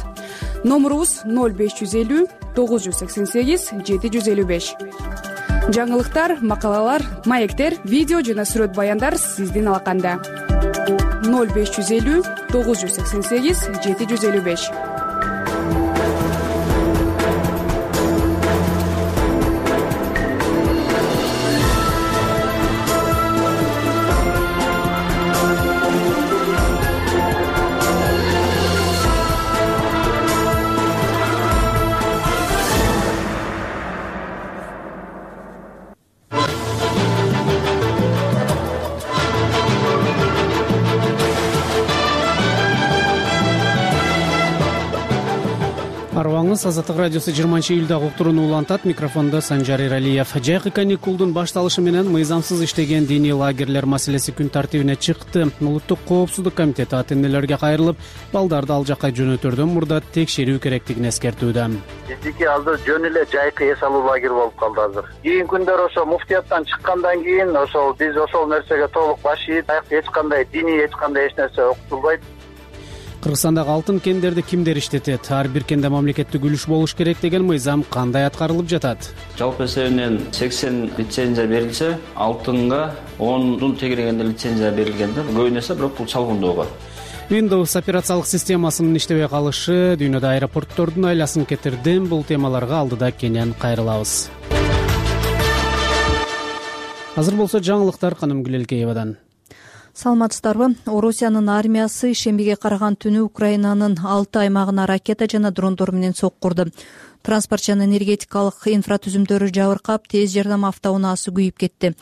Номурубуз ноль беш жүз элүү тогуз жүз сексен сегиз жети жүз элүү беш. Жаңылыктар, макалалар, маектер, видео жана сүрөт баяндар сиздин алаканда. ноль беш жүз элүү тогуз жүз сексен сегиз жети жүз элүү беш. Арыбаңыз Азаттык радиосу жыйырманчы июлдагы уктурууну улантат. Микрофондо Санжар Иралиев. Жайкы каникулдун башталышы менен мыйзамсыз иштеген диний лагерлер маселеси күн тартибине чыкты. Улуттук коопсуздук комитети ата энелерге кайрылып, балдарды ал жакка жөнөтөрдөн мурда текшерүү керектигин эскертүүдө. Биздики азыр жөн эле жайкы эс алуу лагери болуп калды азыр. Кийинки күндөр ошо муфтияттан чыккандан кийин ошол биз ошол нерсеге толук баш ийип, эч кандай диний эч кандай эч нерсе окутулбайт. Кыргызстандагы алтын кендерди кимдер иштетет? Ар бир кенде мамлекеттик үлүш болуш керек деген мыйзам кандай аткарылып жатат? Жалпы эсебинен сексен лицензия берилсе, алтынга ондун тегерегенде лицензия берилген да. Көбүн эсе бирок бул чалгындоого. Windows операциялык системасынын иштебей калышы дүйнөдө аэропорттордун айласын кетирди. Бул темаларга алдыда кенен кайрылабыз. Азыр болсо жаңылыктар Каным Гүлелкеевадан. Саламатсыздарбы? Орусиянын армиясы шембиге караган түнү Украинанын алты аймагына ракета жана дрондор менен соккурду. Транспорт жана энергетикалык инфратүзүмдөрү жабыркап, тез жардам автоунаасы күйүп кетти.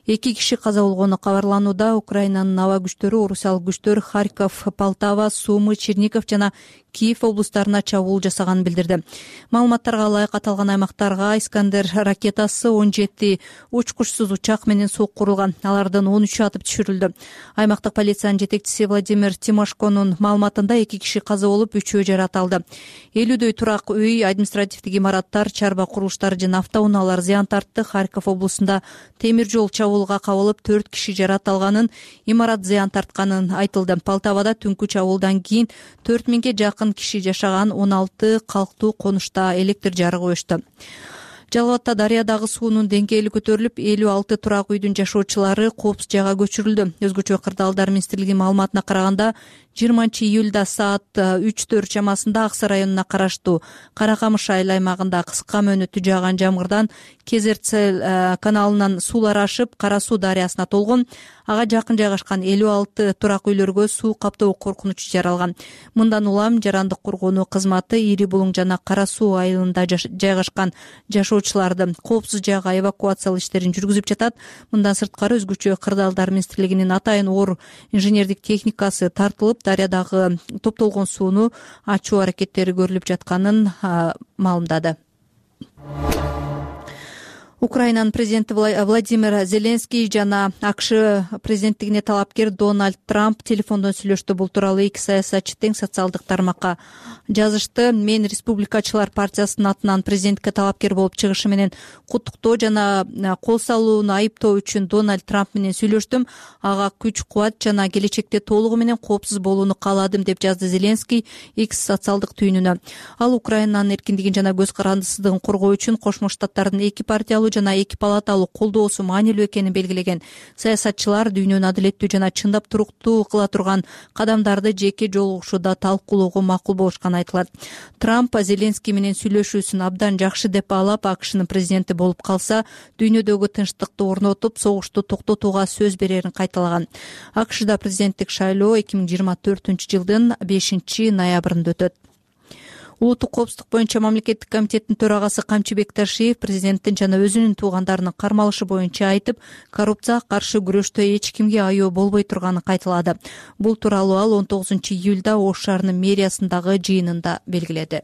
Эки киши каза болгону кабарланууда. Украинанын аба күчтөрү, орусиялык күчтөр Харьков, Полтава, Сумы, Чернигов жана Киев облустарына чабуул жасаганын билдирди. Маалыматтарга ылайык аталган аймактарга Искандер ракетасы он жети учкучсуз учак менен соккурулган. Алардын он үчү атып түшүрүлдү. Аймактык полициянын жетекчиси Владимир Тимошконун маалыматында эки киши каза болуп, үчөө жарат алды. элүүдөй турак үй, административдик имараттар, чарба курулуштары жана автоунаалар зыян тартты. Харьков облусунда темир жол чабуулга кабылып, төрт киши жарат алганын, имарат зыян тартканын айтылды. Полтавада түнкү чабуулдан кийин төрт миңге жакын киши жашаган он алты калктуу конушта электр жарыгы өчтү. Жалал-Абадта дарыядагы суунун деңгээли көтөрүлүп, элүү алты турак үйдүн жашоочулары коопсуз жайга көчүрүлдү. Өзгөчө кырдаалдар министрлигинин маалыматына караганда, жыйырманчы июлда саат үчтөр чамасында Аксы районуна караштуу Каракамыш айыл аймагында кыска мөөнөттүү жааган жамгырдан Кезерцел каналынан суулар ашып, Кара Суу дарыясына толгон. Ага жакын жайгашкан элүү алты турак үйлөргө суу каптоо коркунучу жаралган. Мындан улам Жарандык коргонуу кызматы Ири Булуң жана Кара Суу айылында жайгашкан жашоочуларды коопсуз жайга эвакуациялоо иштерин жүргүзүп жатат. Мындан сырткары өзгөчө кырдаалдар министрлигинин атайын оор инженердик техникасы тартылып, дарыядагы топтолгон сууну ачуу аракеттери көрүлүп жатканын маалымдады. Украинанын президенти Владимир Зеленский жана АКШ президенттигине талапкер Дональд Трамп телефондон сүйлөштү. Бул тууралуу эки саясатчы тең социалдык тармакка жазышты. Мен Республикачылар партиясынын атынан президентке талапкер болуп чыгышы менен куттуктоо жана кол салууну айыптоо үчүн Дональд Трамп менен сүйлөштүм. Ага күч кубат жана келечекте толугу менен коопсуз болууну кааладым, деп жазды Зеленский X социалдык түйүнүнө. Ал Украинанын эркиндигин жана көз карандысыздыгын коргоо үчүн Кошмо Штаттардын эки партиялуу жана эки палаталуу колдоосу маанилүү экенин белгилеген. Саясатчылар дүйнөнү адилеттүү жана чындап туруктуу кыла турган кадамдарды жеке жолугушууда талкуулоого макул болушканы айтылат. Трамп Зеленский менен сүйлөшүүсүн абдан жакшы деп баалап, АКШнын президенти болуп калса, дүйнөдөгү тынчтыкты орнотуп, согушту токтотууга сөз берерин кайталаган. АКШда президенттик шайлоо эки миң жыйырма төртүнчү жылдын бешинчи ноябрында өтөт. Улуттук коопсуздук боюнча мамлекеттик комитеттин төрагасы Камчы Бекташиев президенттин жана өзүнүн туугандарынын кармалышы боюнча айтып, коррупцияга каршы күрөштө эч кимге айоо болбой турганын кайталады. Бул тууралуу ал он тогузунчу июлда Ош шаарынын мэриясындагы жыйынында белгиледи.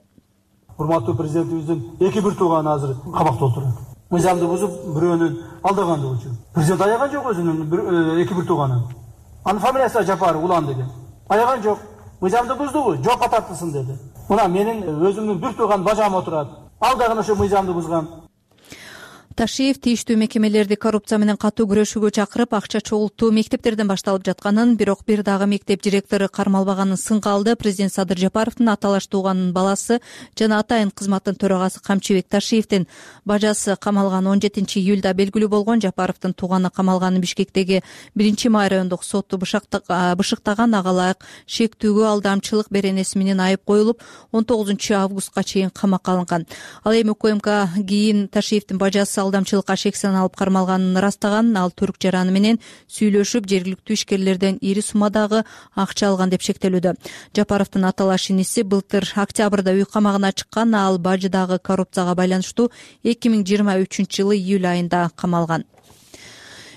Урматтуу президентибиздин эки бир тууганы азыр кабакта отурат. Мыйзамды бузуп, бирөөнүн алдагандыгы үчүн. Президент аяган жок өзүнүн эки бир тууганын. Анын фамилиясы Жапаров Улан деген. Аяган жок. Мыйзамды буздубу? Жокко тартылсын деди. Мына менин өзүмдүн бир тууган бажам отурат. Ал дагы ошо мыйзамды бузган. Ташиев тийиштүү мекемелерди коррупция менен катуу күрөшүүгө чакырып, акча чогултуу мектептерден башталып жатканын, бирок бир дагы мектеп директору кармалбаганын сынга алды. Президент Садыр Жапаровдун аталаш тууганынын баласы жана атайын кызматтын төрагасы Камчыбек Ташиевдин бажасы камалган. он жетинчи июлда белгилүү болгон. Жапаровдун тууганы камалганы Бишкектеги биринчи май райондук соту бышыктаган ага ылайык шектүүгө алдамчылык беренеси менен айып коюлуп, он тогузунчу августка чейин камакка алынган. Ал эми УКМК кийин Ташиевдин бажасы алдамчылыкка шексен алып кармалганын ырастаган. Ал түрк жараны менен сүйлөшүп, жергиликтүү ишкерлерден ири суммадагы акча алган деп шектелүүдө. Жапаровдун аталаш иниси былтыр октябрда үй камагына чыккан. Ал бажыдагы коррупцияга байланыштуу эки миң жыйырма үчүнчү жылы июль айында камалган.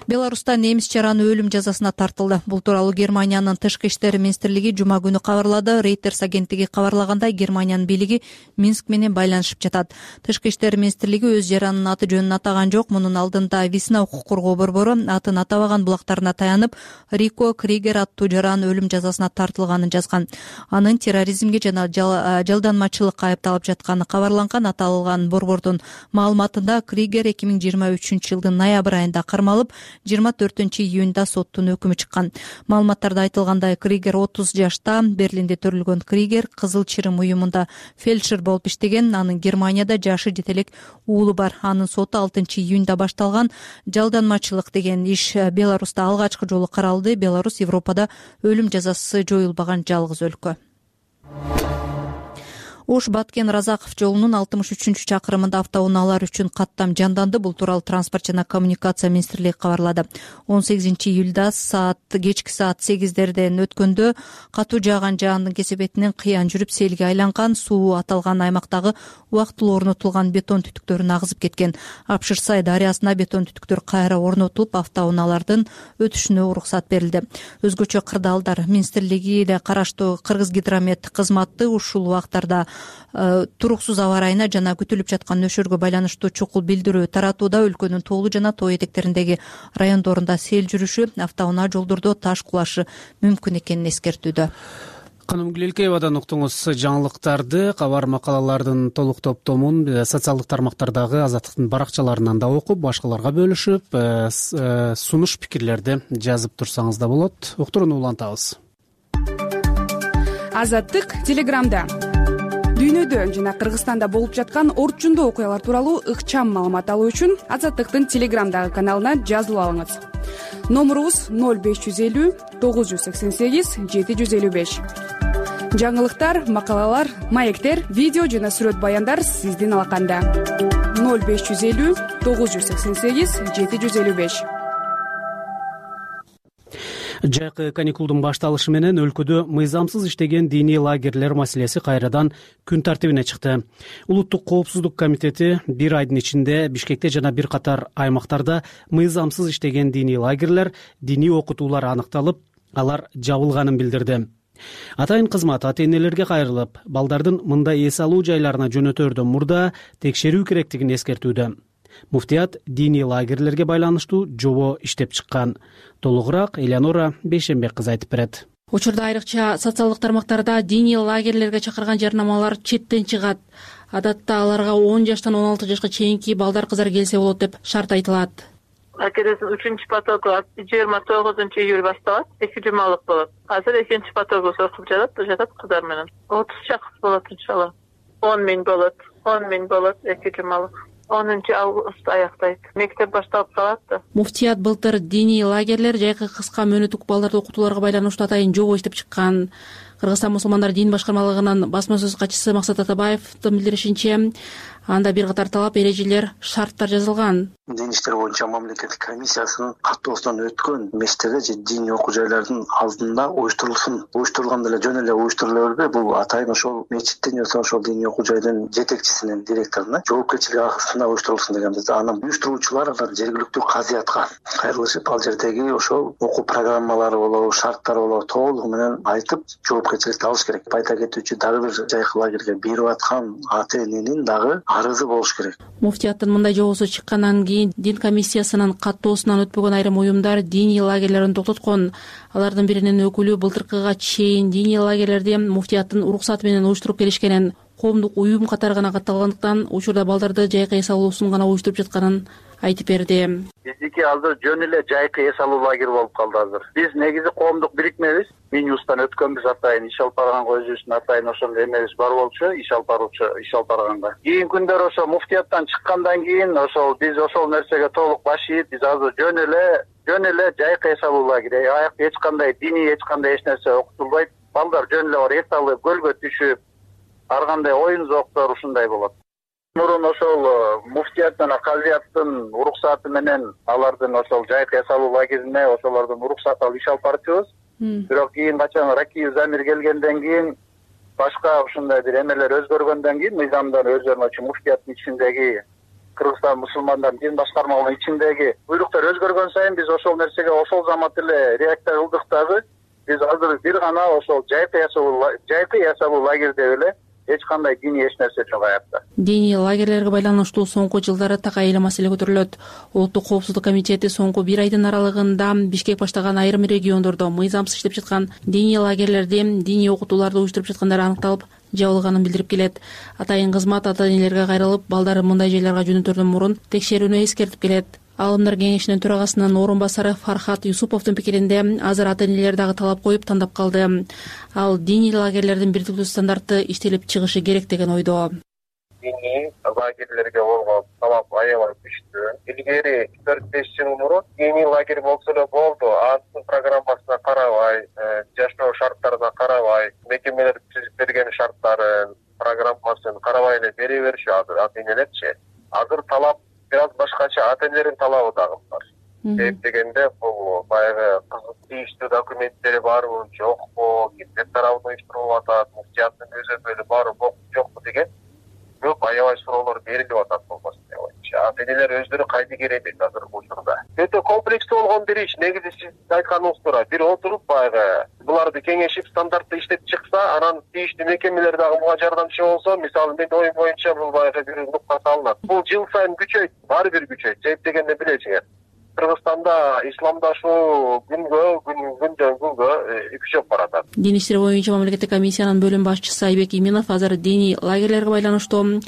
Беларуста немис жараны өлүм жазасына тартылды. Бул тууралуу Германиянын тышкы иштер министрлиги жума күнү кабарлады. Reuters агенттиги кабарлагандай, Германиянын бийлиги Минск менен байланышып жатат. Тышкы иштер министрлиги өз жаранынын аты жөнүн атаган жок. Мунун алдында Висна укук коргоо борбору атын атабаган булактарына таянып, Рико Кригер аттуу жаран өлүм жазасына тартылганын жазган. Анын терроризмге жана жалданмачылыкка айыпталып жатканы кабарланган. Аталган борбордун маалыматында Кригер эки миң жыйырма үчүнчү жылдын ноябрь айында кармалып, жыйырма төртүнчү июнда соттун өкүмү чыккан. Маалыматтарда айтылгандай, Кригер отуз жашта. Берлинде төрөлгөн Кригер Кызыл Чырым уюмунда фельдшер болуп иштеген. Анын Германияда жашы жете элек уулу бар. Анын соту алтынчы июнда башталган. Жалданмачылык деген иш Беларуста алгачкы жолу каралды. Беларусь Европада өлүм жазасы жоюлбаган жалгыз өлкө. Ош Баткен Разаков жолунун алтымыш үчүнчү чакырымында автоунаалар үчүн каттам жанданды. Бул тууралуу Транспорт жана коммуникация министрлиги кабарлады. он сегизинчи июлда саат кечки саат сегиздерден өткөндө катуу жааган жаандын кесепетинен кыян жүрүп селге айланган. Суу аталган аймактагы убактылуу орнотулган бетон түтүктөрүн агызып кеткен. Апшырсай дарыясына бетон түтүктөр кайра орнотулуп, автоунаалардын өтүшүнө уруксат берилди. Өзгөчө кырдаалдар министрлигине караштуу Кыргыз гидромет кызматы ушул убактарда туруксуз аба ырайына жана күтүлүп жаткан нөшөргө байланыштуу чукул билдирүү таратууда. Өлкөнүн тоолуу жана тоо этектериндеги райондорунда сел жүрүшү, автоунаа жолдордо таш кулашы мүмкүн экенин эскертүүдө. Каным Гүлелкеевадан уктуңуз жаңылыктарды. Кабар макалалардын толук топтомун социалдык тармактардагы Азаттыктын баракчаларынан да окуп, башкаларга бөлүшүп, сунуш пикирлерди жазып турсаңыз да болот. Уктурууну улантабыз. Азаттык Телеграмда дүйнөдө жана Кыргызстанда болуп жаткан орчундуу окуялар тууралуу ыкчам маалымат алуу үчүн Азаттыктын Телеграмдагы каналына жазылып алыңыз. Номурубуз ноль беш жүз элүү тогуз жүз сексен сегиз жети жүз элүү беш. Жаңылыктар, макалалар, маектер, видео жана сүрөт баяндар сиздин алаканда. ноль беш жүз элүү тогуз жүз сексен сегиз жети жүз элүү беш. Жайкы каникулдун башталышы менен өлкөдө мыйзамсыз иштеген диний лагерлер маселеси кайрадан күн тартибине чыкты. Улуттук коопсуздук комитети бир айдын ичинде Бишкекте жана бир катар аймактарда мыйзамсыз иштеген диний лагерлер, диний окутуулар аныкталып, алар жабылганын билдирди. Атайын кызмат ата энелерге кайрылып, балдардын мындай эс алуу жайларына жөнөтөрдөн мурда текшерүү керектигин эскертүүдө. Муфтият диний лагерлерге байланыштуу жобо иштеп чыккан. Толугураак Элеонора Бейшенбек кызы айтып берет. Учурда айрыкча социалдык тармактарда диний лагерлерге чакырган жарнамалар четтен чыгат. Адатта аларга он жаштан он алты жашка чейинки балдар кыздар келсе болот деп шарт айтылат. Акедесин үчүнчү потогу жыйырма тогузунчу июль башталат, эки жумалык болот. Азыр экинчи потогу окуп жатат, жатат кыздар менен. отуз чакыс болот иншалла. он миң болот, он миң болот эки жумалык. онунчу августта аяктайт. Мектеп башталып калат да. Муфтият былтыр диний лагерлер жайкы кыска мөөнөттүк балдарды окутууларга байланыштуу атайын жобо иштеп чыккан. Кыргызстан мусулмандар дин башкармалыгынын басма сөз катчысы Максат Атабаевдин билдиришинче, анда бир катар талап, эрежелер, шарттар жазылган. Дин иштер боюнча мамлекеттик комиссиясынын каттоосунан өткөн мечиттерде же диний окуу жайлардын алдында уюштурулсын. Уюштурулганда эле жөн эле уюштурула бербей, бул атайын ошол мечиттин же ошол диний окуу жайдын жетекчисинин, директоруна жоопкерчилик агысында уюштурулсын дегенбиз. Анан уюштуруучулар алар жергиликтүү казыятка кайрылышып, ал жердеги ошол окуу программалары болобу, шарттары болобу толугу менен айтып, жоопкерчиликти алыш керек. Айта кетүүчү, дагы бир жайкы лагерге берип аткан ата эненин дагы арызы болуш керек. Муфтияттын мындай жобосу чыккандан кийин дин комиссиясынын каттоосунан өтпөгөн айрым уюмдар диний лагерлерин токтоткон. Алардын биринин өкүлү былтыркыга чейин диний лагерлерди муфтияттын уруксаты менен уюштуруп келишкенин, коомдук уюм катары гана катталгандыктан учурда балдарды жайкы эс алуусун гана уюштуруп жатканын айтып берди. Биздики азыр жөн эле жайкы эс алуу лагери болуп калды азыр. Биз негизи коомдук бирикмебиз. Минюстан өткөнбүз атайын иш алып барганга өзүбүздүн атайын ошол эмебиз бар болчу, иш алып баруучу иш алып барганга. Кийинки күндөр ошо муфтияттан чыккандан кийин ошол биз ошол нерсеге толук баш ийип, биз азыр жөн эле жөн эле жайкы эс алуу лагери. Аякта эч кандай диний эч кандай эч нерсе окутулбайт. Балдар жөн эле бар эс алып, көлгө түшүп, ар кандай оюн зооктор ушундай болот. Мурун ошол муфтият жана казыяттын уруксаты менен алардын ошол жайкы эс алуу лагерине ошолордун уруксаты алып иш алып барчубуз. Бирок кийин качан Ракиев Замир келгенден кийин башка ушундай бир эмелер өзгөргөндөн кийин мыйзамдар өзгөрмөчү муфтияттын ичиндеги Кыргызстан мусулмандар дин башкармалыгынын ичиндеги буйруктар өзгөргөн сайын биз ошол нерсеге ошол замат эле реакция кылдык дагы. Биз азыр бир гана ошол жайкы эс алуу жайкы эс алуу лагери деп эле эч кандай диний эч нерсе жок аякта. Диний лагерлерге байланыштуу соңку жылдары так айыл маселе көтөрүлөт. Улуттук коопсуздук комитети соңку бир айдын аралыгында бишкек баштаган айрым региондордо мыйзамсыз иштеп жаткан диний лагерлерде диний окутууларды уюштуруп жаткандары аныкталып, жабылганын билдирип келет. Атайын кызмат ата энелерге кайрылып, балдарын мындай жайларга жөнөтөрдөн мурун текшерүүнү эскертип келет. Аалымдар кеңешинин төрагасынын орун басары Фархат Юсуповдун пикиринде азыр ата энелер дагы талап коюп тандап калды. Ал диний лагерлердин бирдиктүү стандарты иштелип чыгышы керек деген ойдо. Диний лагерлерге болгон талап аябай күчтүү. Илгери төрт беш жыл мурун диний лагерь болсо эле болду, анын программасына карабай, жашоо шарттарына карабай, мекемелер түзүп берген шарттарын, программасын карабай эле бере беришет ата энелерчи. Азыр талап бир аз башкача, ата энелердин талабы дагы бар. Себеп дегенде бул баягы кызык тийиштүү документтери барбы, жокпу, кимдер тарабынан уюштурулуп атат, муфтияттын өзөмөлү барбы, жокпу деген көп аябай суроолор берилип атат болбосун деп ойлойм. Ата энелер өздөрү кайдыгер эмес азыр бул учурда. Өтө комплекстүү болгон бир иш. Негизи сиз айтканыңыздыр, бир отуруп баягы буларды кеңешип стандартты иштеп чыкса, анан тийиштүү мекемелер дагы буга жардамчы болсо, мисалы мен оюм боюнча бул баягы бир нукка салынат. Бул жыл сайын күчөйт, баары бир күчөйт. Себеп дегенде билесиңер, Кыргызстанда исламдашуу күнгө күндөн күнгө күчөп баратат. Дин иштери боюнча мамлекеттик комиссиянын бөлүм башчысы Айбек Иминов азыр диний лагерлерге байланыштуу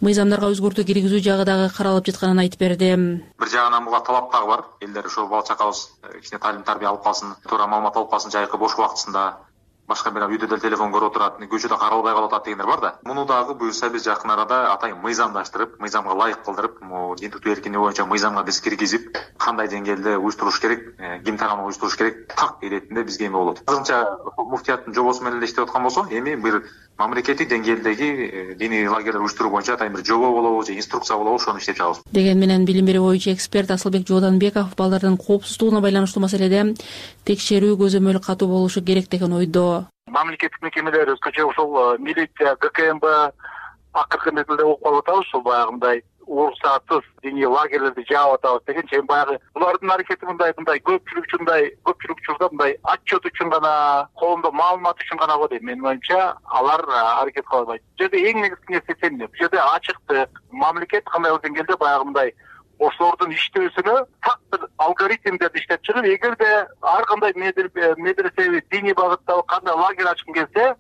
мыйзамдарга өзгөртүү киргизүү жагы дагы каралып жатканын айтып берди. Бир жагынан буга талап дагы бар. Элдер ошол бала чакабыз кичине таалим тарбия алып калсын, туура маалымат алып калсын, жайкы бош убактысында башка бир үйдө деле телефон көрүп отурат, көчөдө каралбай калып атат дегендер бар да. Муну дагы буюрса биз жакын арада атайын мыйзамдаштырып, мыйзамга ылайык кылдырып, дин тутуу эркиндиги боюнча мыйзамга биз киргизип, кандай деңгээлде уюштуруш керек, ким тарабынан уюштуруш керек, так иретинде бизге эме болот. Азырынча муфтияттын жобосу менен эле иштеп аткан болсо, эми бир мамлекеттик деңгээлдеги диний лагерлер уюштуруу боюнча атайын бир жобо болобу же инструкция болобу, ошону иштеп чыгабыз. Деген менен билим берүү боюнча эксперт Асылбек Жооданбеков балдардын коопсуздугуна байланыштуу маселеде текшерүү көзөмөл катуу болушу керек деген ойдо. Мамлекеттик мекемелер өзгөчө ошол милиция, ГКМБ акыркы мезгилде угуп калып атабыз, ушул баягындай уруксатсыз диний лагерлерди жаап атабыз дегенче, эми баягы булардын аракети мындай мындай көпчүлүк үчүндай көпчүлүк учурда мындай отчет үчүн гана, коомдо маалымат үчүн гана го дейм. Менин оюмча алар аракет кыла албайт. Бул жерде эң негизги нерсе сеним. Бул жерде ачыктык, мамлекет кандайдыр деңгээлде баягы мындай ошолордун иштөөсүнө так бир алгоритмдерди иштеп чыгып, эгерде ар кандай медресеби диний багыттагы кандай лагерь ачкым келсе,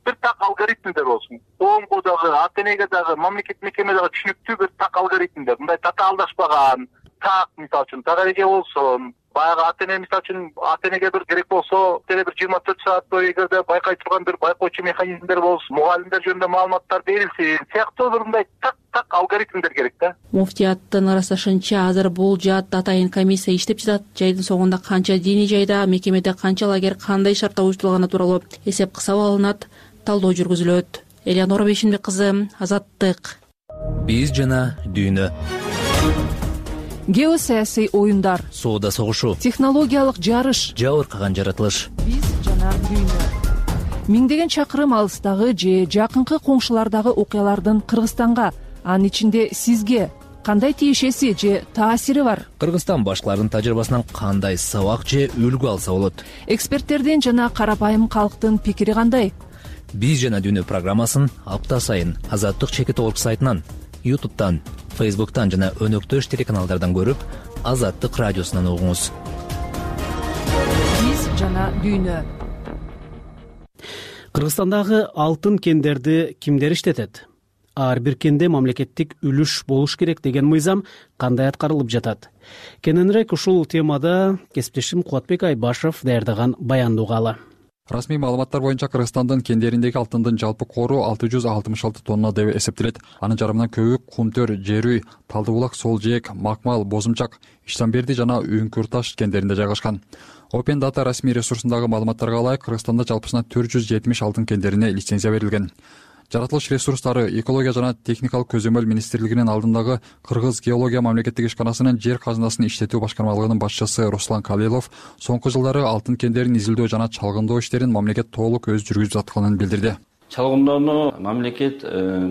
бир так алгоритмдер болсун. Коомго дагы, ата энеге дагы, мамлекеттик мекемеге дагы түшүнүктүү бир так алгоритмдер. Мындай татаалдашпаган, так мисалы үчүн так эреже болсун. Баягы ата эне мисалы үчүн ата энеге бир керек болсо, деле бир жыйырма төрт саат бою эгерде байкай турган бир байкоочу механизмдер болсун, мугалимдер жөнүндө маалыматтар берилсин, сыяктуу бир мындай так так алгоритмдер керек да. Муфтияттын ырасташынча азыр бул жаатта атайын комиссия иштеп жатат. Жайдын соңунда канча диний жайда, мекемеде канча лагерь кандай шартта уюштурулганы тууралуу эсеп кысап алынат, талдоо жүргүзүлөт. Элеонора Бейшенбек кызы, Азаттык. Биз жана дүйнө. Геосаясий оюндар, соода согушу, технологиялык жарыш, жабыркаган жаратылыш. Биз жана дүйнө. Миңдеген чакырым алыстагы же жакынкы коңшулардагы окуялардын Кыргызстанга, анын ичинде сизге кандай тиешеси же таасири бар? Кыргызстан башкалардын тажрыйбасынан кандай сабак же үлгү алса болот? Эксперттердин жана карапайым калктын пикири кандай? Биз жана дүйнө программасын апта сайын Азаттык чекит орг сайтынан, ютубтан, фейсбуктан жана өнөктөш телеканалдардан көрүп, Азаттык радиосунан угуңуз. Биз жана дүйнө. Кыргызстандагы алтын кендерди кимдер иштетет? ар бир кенде мамлекеттик үлүш болуш керек деген мыйзам кандай аткарылып жатат? Кененирээк ушул темада кесиптешим Кубатбек Айбашев даярдаган баянды угалы. Расмий маалыматтар боюнча Кыргызстандын кендериндеги алтындын жалпы кору алты жүз алтымыш алты тонна деп эсептелет. Анын жарымынан көбү Кумтөр, Жерүй, Талды булак, Сол жээк, Макмал, Бозумчак, Иштанберди жана Үңкүр таш кендеринде жайгашкан. Open Data расмий ресурсундагы маалыматтарга ылайык Кыргызстанда жалпысынан төрт жүз жетимиш алтын кендерине лицензия берилген. Жаратылыш ресурстары, экология жана техникалык көзөмөл министрлигинин алдындагы Кыргыз геология мамлекеттик ишканасынын жер казынасын иштетүү башкармалыгынын башчысы Руслан Калилов соңку жылдары алтын кендерин изилдөө жана чалгындоо иштерин мамлекет толук өз жүргүзүп атканын билдирди. Чалгындоону мамлекет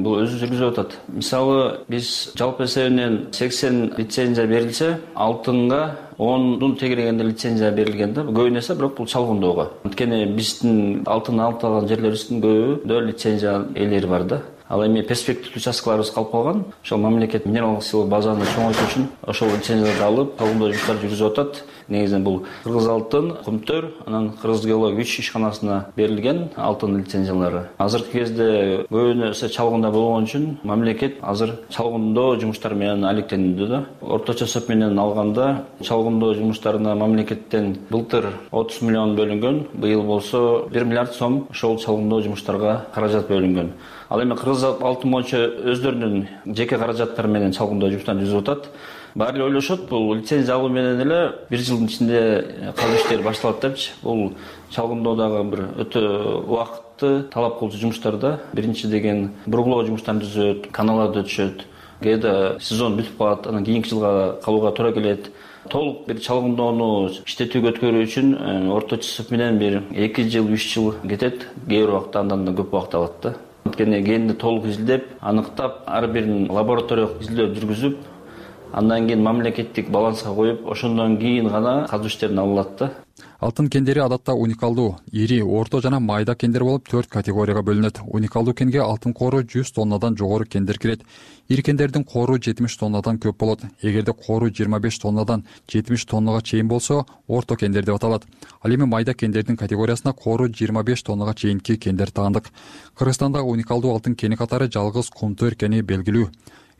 бул өзү жүргүзүп атат. Мисалы, биз жалпы эсебинен сексен лицензия берилсе, алтынга ондун тегерегенде лицензия берилген да. Көбүнө эсе бирок бул чалгындоого. Анткени биздин алтын алып алган жерлерибиздин көбүдө лицензия ээлери бар да. Ал эми перспектив участкаларыбыз калып калган. Ошол мамлекет минералдык сыйлык базаны чоңойтуу үчүн ошол лицензияларды алып, чалгындоо жумуштарын жүргүзүп атат. Негизинен бул Кыргыз алтын, Кумтөр, анан Кыргыз геология үч ишканасына берилген алтын лицензиялары. Азыркы кезде көбүнө эсе чалгындоо болгон үчүн мамлекет азыр чалгындоо жумуштары менен алектенүүдө да. Орточо эсеп менен алганда чалгындоо жумуштарына мамлекеттен былтыр отуз миллион бөлүнгөн, быйыл болсо бир миллиард сом ошол чалгындоо жумуштарга каражат бөлүнгөн. Ал эми Кыргыз алтын боюнча өздөрүнүн жеке каражаттары менен чалгындоо жумуштарын жүргүзүп атат. Баары эле ойлошот, бул лицензия алуу менен эле бир жылдын ичинде казуу иштери башталат депчи. Бул чалгындоодагы бир өтө убакытты талап кылуучу жумуштар да. Биринчи деген бургулоо жумуштарын түзөт, каналарды өтүшөт. Кээде сезон бүтүп калат, анан кийинки жылга калууга туура келет. Толук бир чалгындоону иштетүүгө өткөрүү үчүн орточо эсеп менен бир эки жыл, үч жыл кетет. Кээ бир убакта андан да көп убакыт алат да. Анткени кенди толук изилдеп, аныктап, ар бирин лабораториялык изилдөө жүргүзүп, андан кийин мамлекеттик баланска коюп, ошондон кийин гана казуу иштерин алат да. Алтын кендери адатта уникалдуу, ири, орто жана майда кендер болуп төрт категорияга бөлүнөт. Уникалдуу кенге алтын кору жүз тоннадан жогору кендер кирет. Ири кендердин кору жетимиш тоннадан көп болот. Эгерде кору жыйырма беш тоннадан жетимиш тоннага чейин болсо, орто кендер деп аталат. Ал эми майда кендердин категориясына кору жыйырма беш тоннага чейинки кендер таандык. Кыргызстанда уникалдуу алтын кени катары жалгыз Кумтөр кени белгилүү.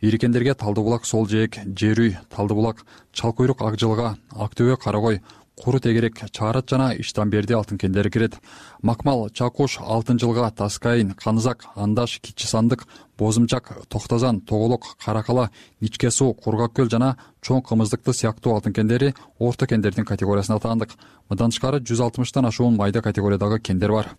Ири кендерге Талды булак, Сол жээк, Жерүй, Талды булак, Чалкуйрук, Ак жылга, Ак төбө, Карагой, Куру тегерек, Чаарат жана Иштанберди алтын кендери кирет. Макмал, Чакуш, Алтын жылга, Таскайын, Канызак, Андаш, Кичи Сандык, Бозумчак, Токтозан, Тоголок, Каракала, Ничке суу, Кургак көл жана чоң кымыздыкты сыяктуу алтын кендери орто кендердин категориясына таандык. Мындан тышкары жүз алтымыштан ашуун майда категориядагы кендер бар.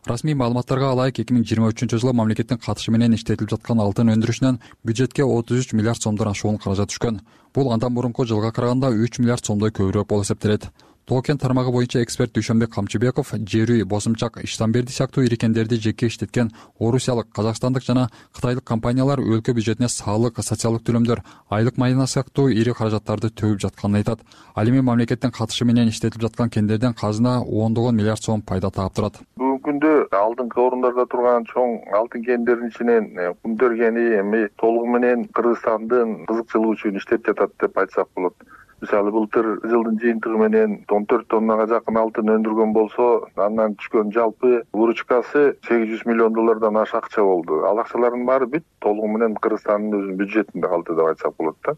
Расмий маалыматтарга ылайык эки миң жыйырма үчүнчү жылы мамлекеттин катышы менен иштетилип жаткан алтын өндүрүшүнөн бюджетке отуз үч миллиард сомдон ашуун каражат түшкөн. Бул андан мурунку жылга караганда үч миллиард сомдой көбүрөөк болуп эсептелет. Тоо-кен тармагы боюнча эксперт Дүйшөнбек Камчыбеков Жерүй, Босумчак, Иштанберди сыяктуу ири кендерди жеке иштеткен орусиялык, казакстандык жана кытайлык компаниялар өлкө бюджетине салык, социалдык төлөмдөр, айлык майына сыяктуу ири каражаттарды төгүп жатканын айтат. Ал эми мамлекеттин катышы менен иштетилип жаткан кендерден казына ондогон миллиард сом пайда таап турат. Бүгүнкү күндө алдыңкы орундарда турган чоң алтын кендеринин ичинен Кумтөр кени эми толугу менен Кыргызстандын кызыкчылыгы үчүн иштеп жатат деп айтсак болот. Мисалы былтыр жылдын жыйынтыгы менен он төрт тоннага жакын алтын өндүргөн болсо, андан түшкөн жалпы выручкасы сегиз жүз миллион доллардан ашык акча болду. Ал акчалардын баары бүт толугу менен Кыргызстандын өзүнүн бюджетинде калды деп айтсак болот да.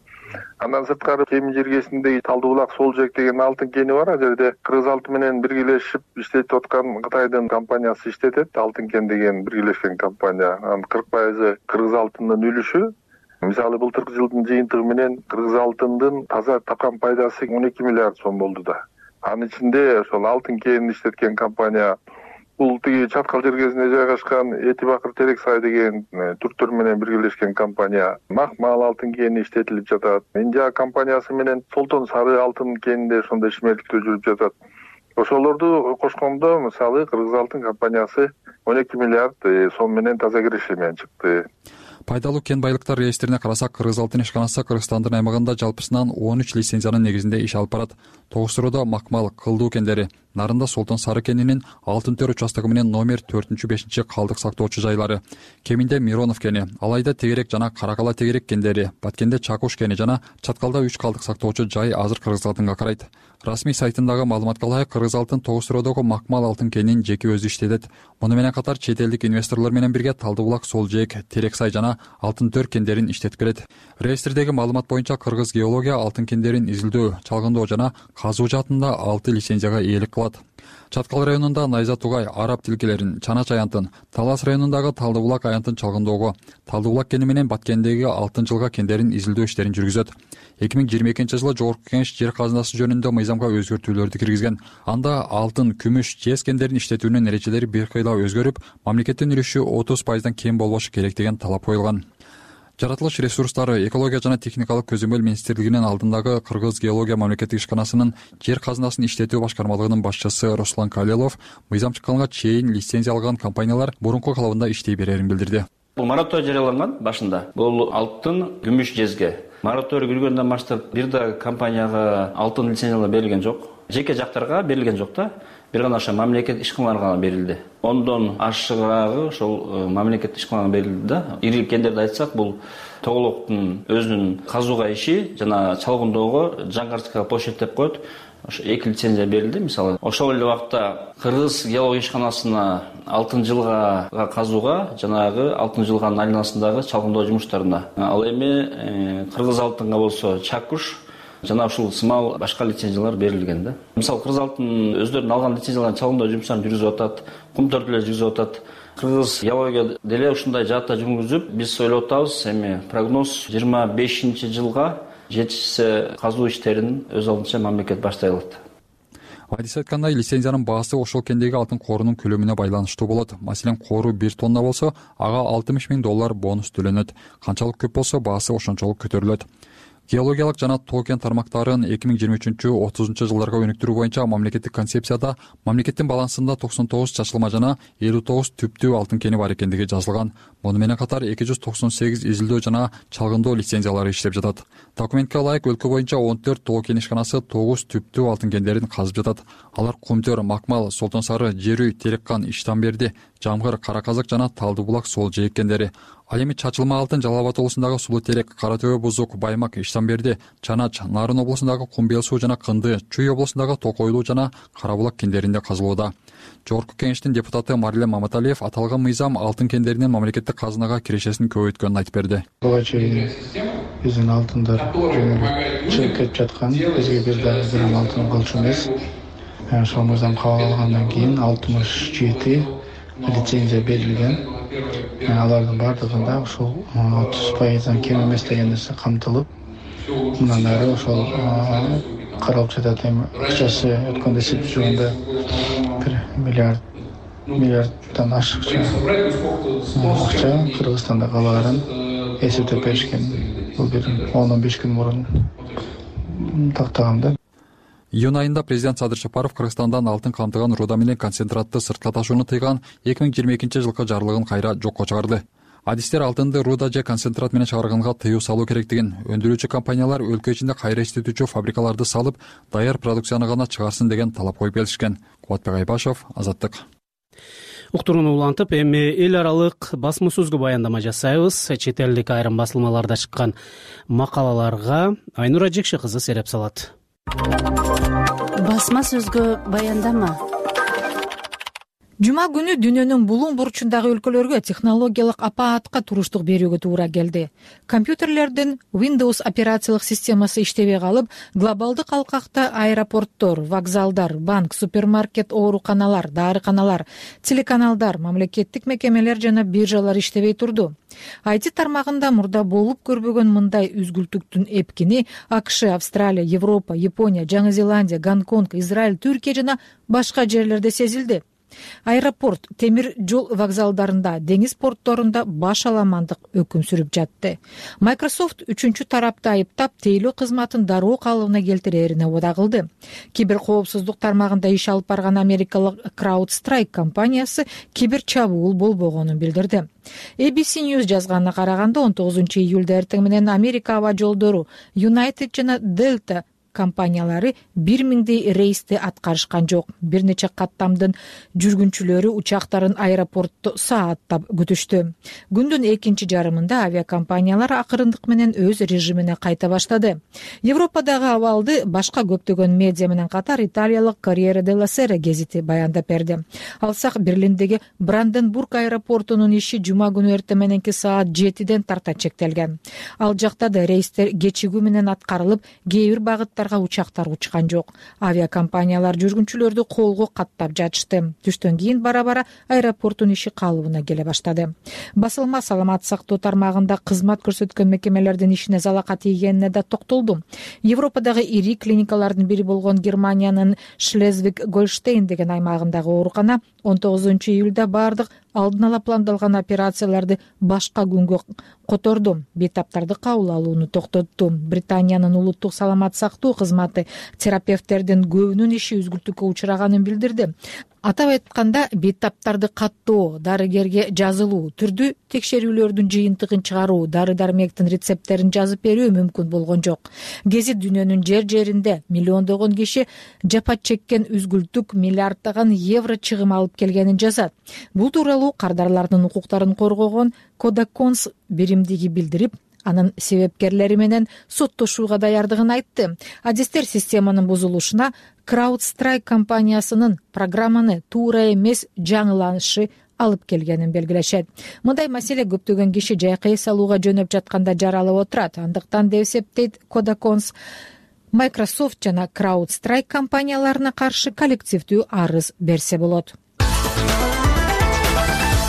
Андан сырткары Кемин жергесиндеги Талды булак, Сол жээк деген алтын кени бар. Ал жерде Кыргыз алтын менен биргелешип иштетип аткан Кытайдын компаниясы иштетет. Алтын кен деген биргелешкен компания. Анын кырк пайызы Кыргыз алтынынын үлүшү. Мисалы былтыркы жылдын жыйынтыгы менен Кыргыз алтындын таза тапкан пайдасы он эки миллиард сом болду да. Анын ичинде ошол алтын кенин иштеткен компания бул тиги Чаткал жергесинде жайгашкан Эти Бакыр Терексай деген түрктөр менен биргелешкен компания. Макмал алтын кени иштетилип жатат. Индия компаниясы менен Солтон Сары алтын кенинде ошондой ишмердиктөө жүрүп жатат. Ошолорду кошкондо мисалы Кыргыз алтын компаниясы он эки миллиард сом менен таза киреше менен чыкты. Пайдалуу кен байлыктар реестрине карасак, Кыргыз алтын ишканасы Кыргызстандын аймагында жалпысынан он үч лицензиянын негизинде иш алып барат. Тогуз-Суруда Макмал, Кылдуу кендери, Нарында Солтон Сары кенинин Алтын төр участогу менен номер төртүнчү бешинчи калдык сактоочу жайлары, Кеминде Миронов кени, Алайда Тегерек жана Каракала Тегерек кендери, Баткенде Чакуш кени жана Чаткалда үч калдык сактоочу жай азыр Кыргыз алтынга карайт. Расмий сайтындагы маалыматка ылайык, кыргыз алтын тогуз сыроодогу Макмал алтын кенинин жеке өзү иштетет. Муну менен катар чет элдик инвесторлор менен бирге Талды булак, Сол жээк, Терек сай жана Алтын төр кендерин иштетип келет. Реестрдеги маалымат боюнча Кыргыз геология алтын кендерин изилдөө, чалгындоо жана казуу жаатында алты лицензияга ээлик кылат. Чаткал районунда Найза Тугай, Арап тилкелерин, Чанач аянтын, Талас районундагы Талды булак аянтын чалгындоого, Талды булак кени менен Баткендеги алтын жылга кендерин изилдөө иштерин жүргүзөт. эки миң жыйырма экинчи жылы Жогорку Кеңеш жер казынасы жөнүндө мыйзамга өзгөртүүлөрдү киргизген. Анда алтын, күмүш, жез кендерин иштетүүнүн эрежелери бир кыйла өзгөрүп, мамлекеттин үлүшү отуз пайыздан кем болбошу керек деген талап коюлган. Жаратылыш ресурстары, экология жана техникалык көзөмөл министрлигинин алдындагы Кыргыз геология мамлекеттик ишканасынын жер казынасын иштетүү башкармалыгынын башчысы Руслан Калелов мыйзам чыкканга чейин лицензия алган компаниялар мурунку калыбында иштей берерин билдирди. Бул мораторий жарыяланган башында. Бул алтын, күмүш, жезге. Мораторий киргөндөн баштап бир да компанияга алтын лицензиялар берилген жок. Жеке жактарга берилген жок да. Бир гана ошо мамлекет ишканаларга берилди. Ондон ашыгыраагы ошол мамлекет ишканаларга берилди да. Ири кендерди айтсак, бул Тоголоктун өзүнүн казууга иши жана чалгындоого жаңгартка площадь деп коет. Ошо эки лицензия берилди. Мисалы, ошол эле убакта Кыргыз геология ишканасына алтын жылга казууга жанагы алтын жылганын айланасындагы чалгындоо жумуштарына. Ал эми Кыргыз алтынга болсо Чакуш жана ушул сымал башка лицензиялар берилген да. Мисалы, Кыргыз алтын өздөрүнүн алган лицензияларын чалгындоо жумуштарын жүргүзүп атат, кум төртүлөр жүргүзүп атат. Кыргыз геология деле ушундай жаатта жүргүзүп, биз ойлоп атабыз, эми прогноз жыйырма бешинчи жылга жетишсе казуу иштерин өз алдынча мамлекет баштай алат. Адис айткандай, лицензиянын баасы ошол кендеги алтын коорунун көлөмүнө байланыштуу болот. Маселен, коору бир тонна болсо, ага алтымыш миң доллар бонус төлөнөт. Канчалык көп болсо, баасы ошончолук көтөрүлөт. Геологиялык жана тоо кен тармактарын эки миң жыйырма үчүнчү отузунчу жылдарга өнүктүрүү боюнча мамлекеттик концепцияда мамлекеттин балансында токсон тогуз чачылма жана элүү тогуз түптүү алтын кени бар экендиги жазылган. Муну менен катар эки жүз токсон сегиз изилдөө жана чалгындоо лицензиялары иштеп жатат. Документке ылайык, өлкө боюнча он төрт тоо кен ишканасы тогуз түптүү алтын кендерин казып жатат. Алар Кумтөр, Макмал, Солтон Сары, Жерүй, Тереккан, Иштанберди, Жамгыр, Кара Казак жана Талды булак, Сол жээк кендери. Ал эми чачылма алтын Жалал Абад облусундагы Сулуу Терек, Кара Төбө, Бузук, Баймак, Иштанберди, Чанач, Нарын облусундагы Кумбел суу жана Кынды, Чүй облусундагы Токойлуу жана Кара булак кендеринде казылууда. Жогорку Кеңештин депутаты Марлен Маматалиев аталган мыйзам алтын кендеринин мамлекеттик казынага кирешесин көбөйткөнүн айтып берди. Буга чейин биздин алтындар чыгып кетип жаткан, бизге бир дагы бир алтын болчу эмес. Ошол мыйзам кабыл алгандан кийин алтымыш жети лицензия берилген. Алардын бардыгында ошол отуз пайыздан кем эмес деген нерсе камтылып, мындан ары ошол каралып жатат. Эми акчасы өткөндө эсептеп жүргөндө бир миллиард миллиарддан ашыкча акча Кыргызстанда калаарын эсептеп беришкен. Бул бир он он беш күн мурун тактаган да. Июнь айында президент Садыр Жапаров Кыргызстандан алтын камтыган руда менен концентратты сыртка ташууну тыйган эки миң жыйырма экинчи жылкы жарлыгын кайра жокко чыгарды. Адистер алтынды руда же концентрат менен чыгарганга тыюу салуу керектигин, өндүрүүчү компаниялар өлкө ичинде кайра иштетүүчү фабрикаларды салып, даяр продукцияны гана чыгарсын деген талап коюп келишкен. Кубатбек Айбашев, Азаттык. Уктурууну улантып, эми эл аралык басма сөзгө баяндама жасайбыз. Чет элдик айрым басылмаларда чыккан макалаларга Айнура Жекше кызы сереп салат. Басма сөзгө баяндама. Жума күнү дүйнөнүн булуң бурчундагы өлкөлөргө технологиялык апаатка туруштук берүүгө туура келди. Компьютерлердин Windows операциялык системасы иштебей калып, глобалдык алкакта аэропорттор, вокзалдар, банк, супермаркет, ооруканалар, дарыканалар, телеканалдар, мамлекеттик мекемелер жана биржалар иштебей турду. ай ти тармагында мурда болуп көрбөгөн мындай үзгүлтүктүн эпкини АКШ, Австралия, Европа, Япония, Жаңы Зеландия, Гонконг, Израиль, Түркия жана башка жерлерде сезилди. Аэропорт, темир жол вокзалдарында, деңиз портторунда баш аламандык өкүм сүрүп жатты. Microsoft үчүнчү тарапты айыптап, тейлөө кызматын дароо калыбына келтирээрине убада кылды. Кибер коопсуздук тармагында иш алып барган америкалык CrowdStrike компаниясы кибер чабуул болбогонун билдирди. эй би си News жазганына караганда он тогузунчу июлда эртең менен Америка аба жолдору United жана Delta компаниялары бир миңдей рейсти аткарышкан жок. Бир нече каттамдын жүргүнчүлөрү учактарын аэропортто сааттап күтүштү. Күндүн экинчи жарымында авиакомпаниялар акырындык менен өз режимине кайта баштады. Европадагы абалды башка көптөгөн медиа менен катар италиялык Corriere della Sera гезити баяндап берди. Алсак Берлиндеги Бранденбург аэропортунун иши жума күнү эртең мененки саат жетиден тарта чектелген. Ал жакта да рейстер кечигүү менен аткарылып, кээ бир багыттарга учактар учкан жок. Авиакомпаниялар жүргүнчүлөрдү колго каттап жатышты. Түштөн кийин бара-бара аэропорттун иши калыбына келе баштады. Басылма саламат сактоо тармагында кызмат көрсөткөн мекемелердин ишине залака тийгенине да токтолду. Европадагы ири клиникалардын бири болгон Германиянын Шлезвиг-Гольштейн деген аймагындагы оорукана он тогузунчу июлда бардык алдын ала пландалган операцияларды башка күнгө которду. Бейтаптарды кабыл алууну токтотту. Британиянын улуттук саламат сактоо кызматы терапевттердин көбүнүн иши үзгүлтүккө учураганын билдирди. Атап айтканда, бейтаптарды каттоо, дарыгерге жазылуу, түрдүү текшерүүлөрдүн жыйынтыгын чыгаруу, дары-дармектин рецепттерин жазып берүү мүмкүн болгон жок. Гезит дүйнөнүн жер-жеринде миллиондогон киши жапа чеккен үзгүлтүк миллиарддаган евро чыгым алып келгенин жазат. Бул тууралуу кардарлардын укуктарын коргогон Codacons биримдиги билдирип, анын себепкерлери менен соттошууга даярдыгын айтты. Адистер системанын бузулушуна CrowdStrike компаниясынын программаны туура эмес жаңыланышы алып келгенин белгилешет. Мындай маселе көптөгөн киши жайкы эс алууга жөнөп жатканда жаралып отурат. Андыктан деп эсептейт Codacons, Microsoft жана CrowdStrike компанияларына каршы коллективдүү арыз берсе болот.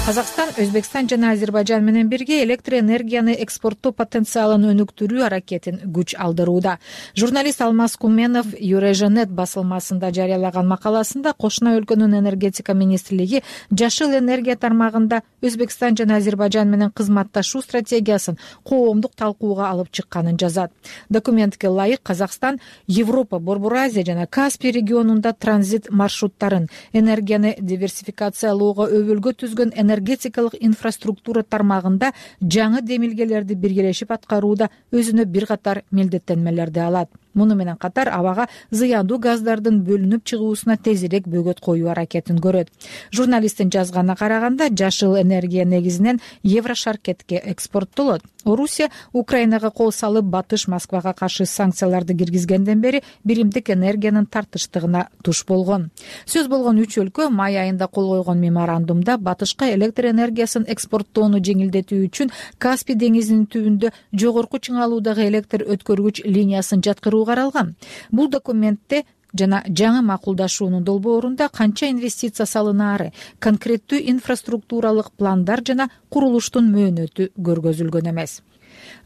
Казакстан, Өзбекстан жана Азербайжан менен бирге электр энергияны экспорттоо потенциалын өнүктүрүү аракетин күч алдырууда. Журналист Алмаз Куменов Eurasianet басылмасында жарыялаган макаласында кошуна өлкөнүн энергетика министрлиги жашыл энергия тармагында Өзбекстан жана Азербайжан менен кызматташуу стратегиясын коомдук талкууга алып чыкканын жазат. Документке ылайык Казакстан Европа, Борбор Азия жана Каспий регионунда транзит маршруттарын, энергияны диверсификациялоого өбөлгө түзгөн энергетикалык инфраструктура тармагында жаңы демилгелерди биргелешип аткарууда өзүнө бир катар милдеттенмелерди алат. Муну менен катар абага зыяндуу газдардын бөлүнүп чыгуусуна тезирээк бөгөт коюу аракетин көрөт. Журналисттин жазганына караганда, жашыл энергия негизинен Еврошаркетке экспорттолот. Орусия Украинага кол салып, Батыш Москвага каршы санкцияларды киргизгенден бери биримдик энергиянын тартыштыгына туш болгон. Сөз болгон үч өлкө май айында кол койгон меморандумда Батышка электр энергиясын экспорттоону жеңилдетүү үчүн Каспий деңизинин түбүндө жогорку чыңалуудагы электр өткөргүч линиясын жаткыруу каралган. Бул документте жана жаңы макулдашуунун долбоорунда канча инвестиция салынаары, конкреттүү инфраструктуралык пландар жана курулуштун мөөнөтү көргөзүлгөн эмес.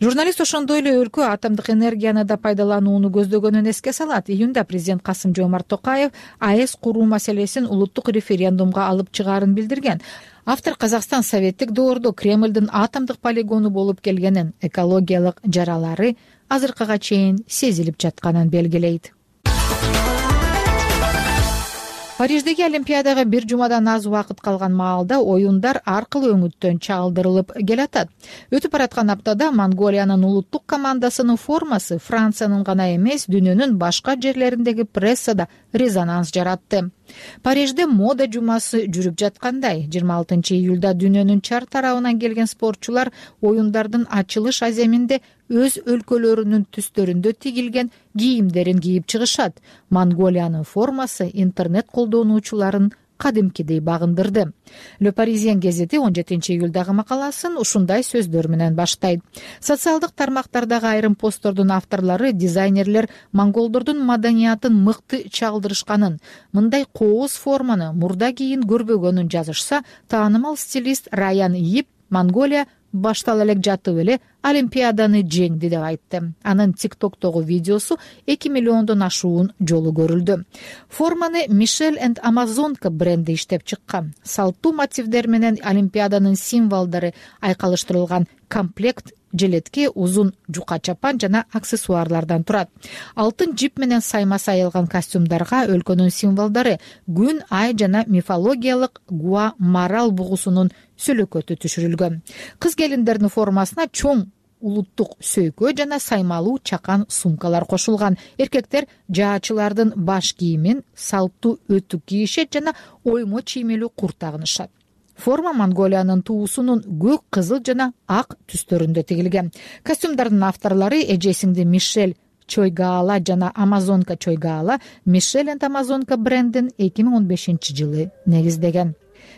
Журналист ошондой эле өлкө атомдук энергияны да пайдаланууну көздөгөнүн эске салат. Июнда президент Касым-Жомарт Токаев АЭС куруу маселесин улуттук референдумга алып чыгаарын билдирген. Автор Казакстан советтик доордо Кремлдин атомдук полигону болуп келгенин, экологиялык жаралары азыркыга чейин сезилип жатканын белгилейт. Париждеги Олимпиадага бир жумадан аз убакыт калган маалда оюндар аркылуу өңүттөн чалдырылып келатат. Өтүп бараткан аптада Монголиянын улуттук командасынын формасы Франциянын гана эмес, дүйнөнүн башка жерлериндеги прессада резонанс жаратты. Парижде мода жумасы жүрүп жаткандай, жыйырма алтынчы июлда дүйнөнүн чар тарабынан келген спортчулар оюндардын ачылыш аземинде өз өлкөлөрүнүн түстөрүндө тигилген кийимдерин кийип чыгышат. Монголиянын формасы интернет колдонуучуларын кадимкидей багындырды. Le Parisien гезити он жетинчи июлдагы макаласын ушундай сөздөр менен баштайт. Социалдык тармактардагы айрым посттордун авторлору, дизайнерлер монголдордун маданиятын мыкты чалдырышканын, мындай кооз форманы мурда кийин көрбөгөнүн жазышса, таанымал стилист Раян Ип Монголия баштала элек жатып эле Олимпиаданы жеңди деп айтты. Анын тиктоктогу видеосу эки миллиондон ашуун жолу көрүлдү. Форманы Мишель энд Амазонка бренди иштеп чыккан. Салттуу мотивдер менен Олимпиаданын символдору айкалыштырылган комплект желетке узун жука чапан жана аксессуарлардан турат. Алтын жип менен сайма сайылган костюмдарга өлкөнүн символдору күн, ай жана мифологиялык Гуа марал бугусунун сөлөкөтү түшүрүлгөн. Кыз келиндердин формасына чоң улуттук сөйкө жана саймалуу чакан сумкалар кошулган. Эркектер жаачылардын баш кийимин, салттуу өтүк кийишет жана оймо чиймелүү курт тагынышат. Форма Монголиянын туусунун көк, кызыл жана ак түстөрүндө тигилген. Костюмдардын авторлору эжесиңди Мишель Чойгаала жана Амазонка Чойгаала Мишель энд Амазонка брендин эки миң он бешинчи жылы негиздеген.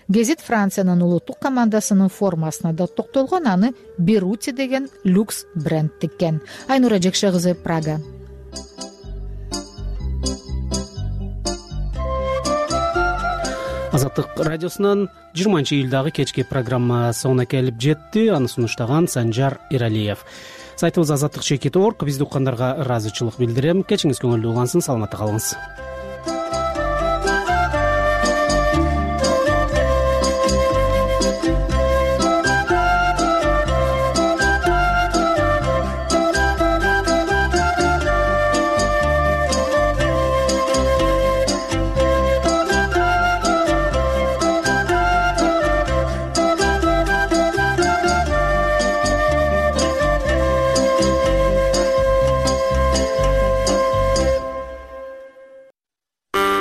Гезит Франциянын улуттук командасынын формасына да токтолгон, аны Берути деген люкс бренд тиккен. Айнура Жекше кызы, Прага. Азаттык радиосунан жыйырманчы июлдагы кечки программа соңуна келип жетти. Аны сунуштаган Санжар Эралиев. Сайтыбыз азаттык чекит точка орг. Бизди уккандарга ыраазычылык билдирем. Кечиңиз көңүлдүү улансын, саламатта калыңыз.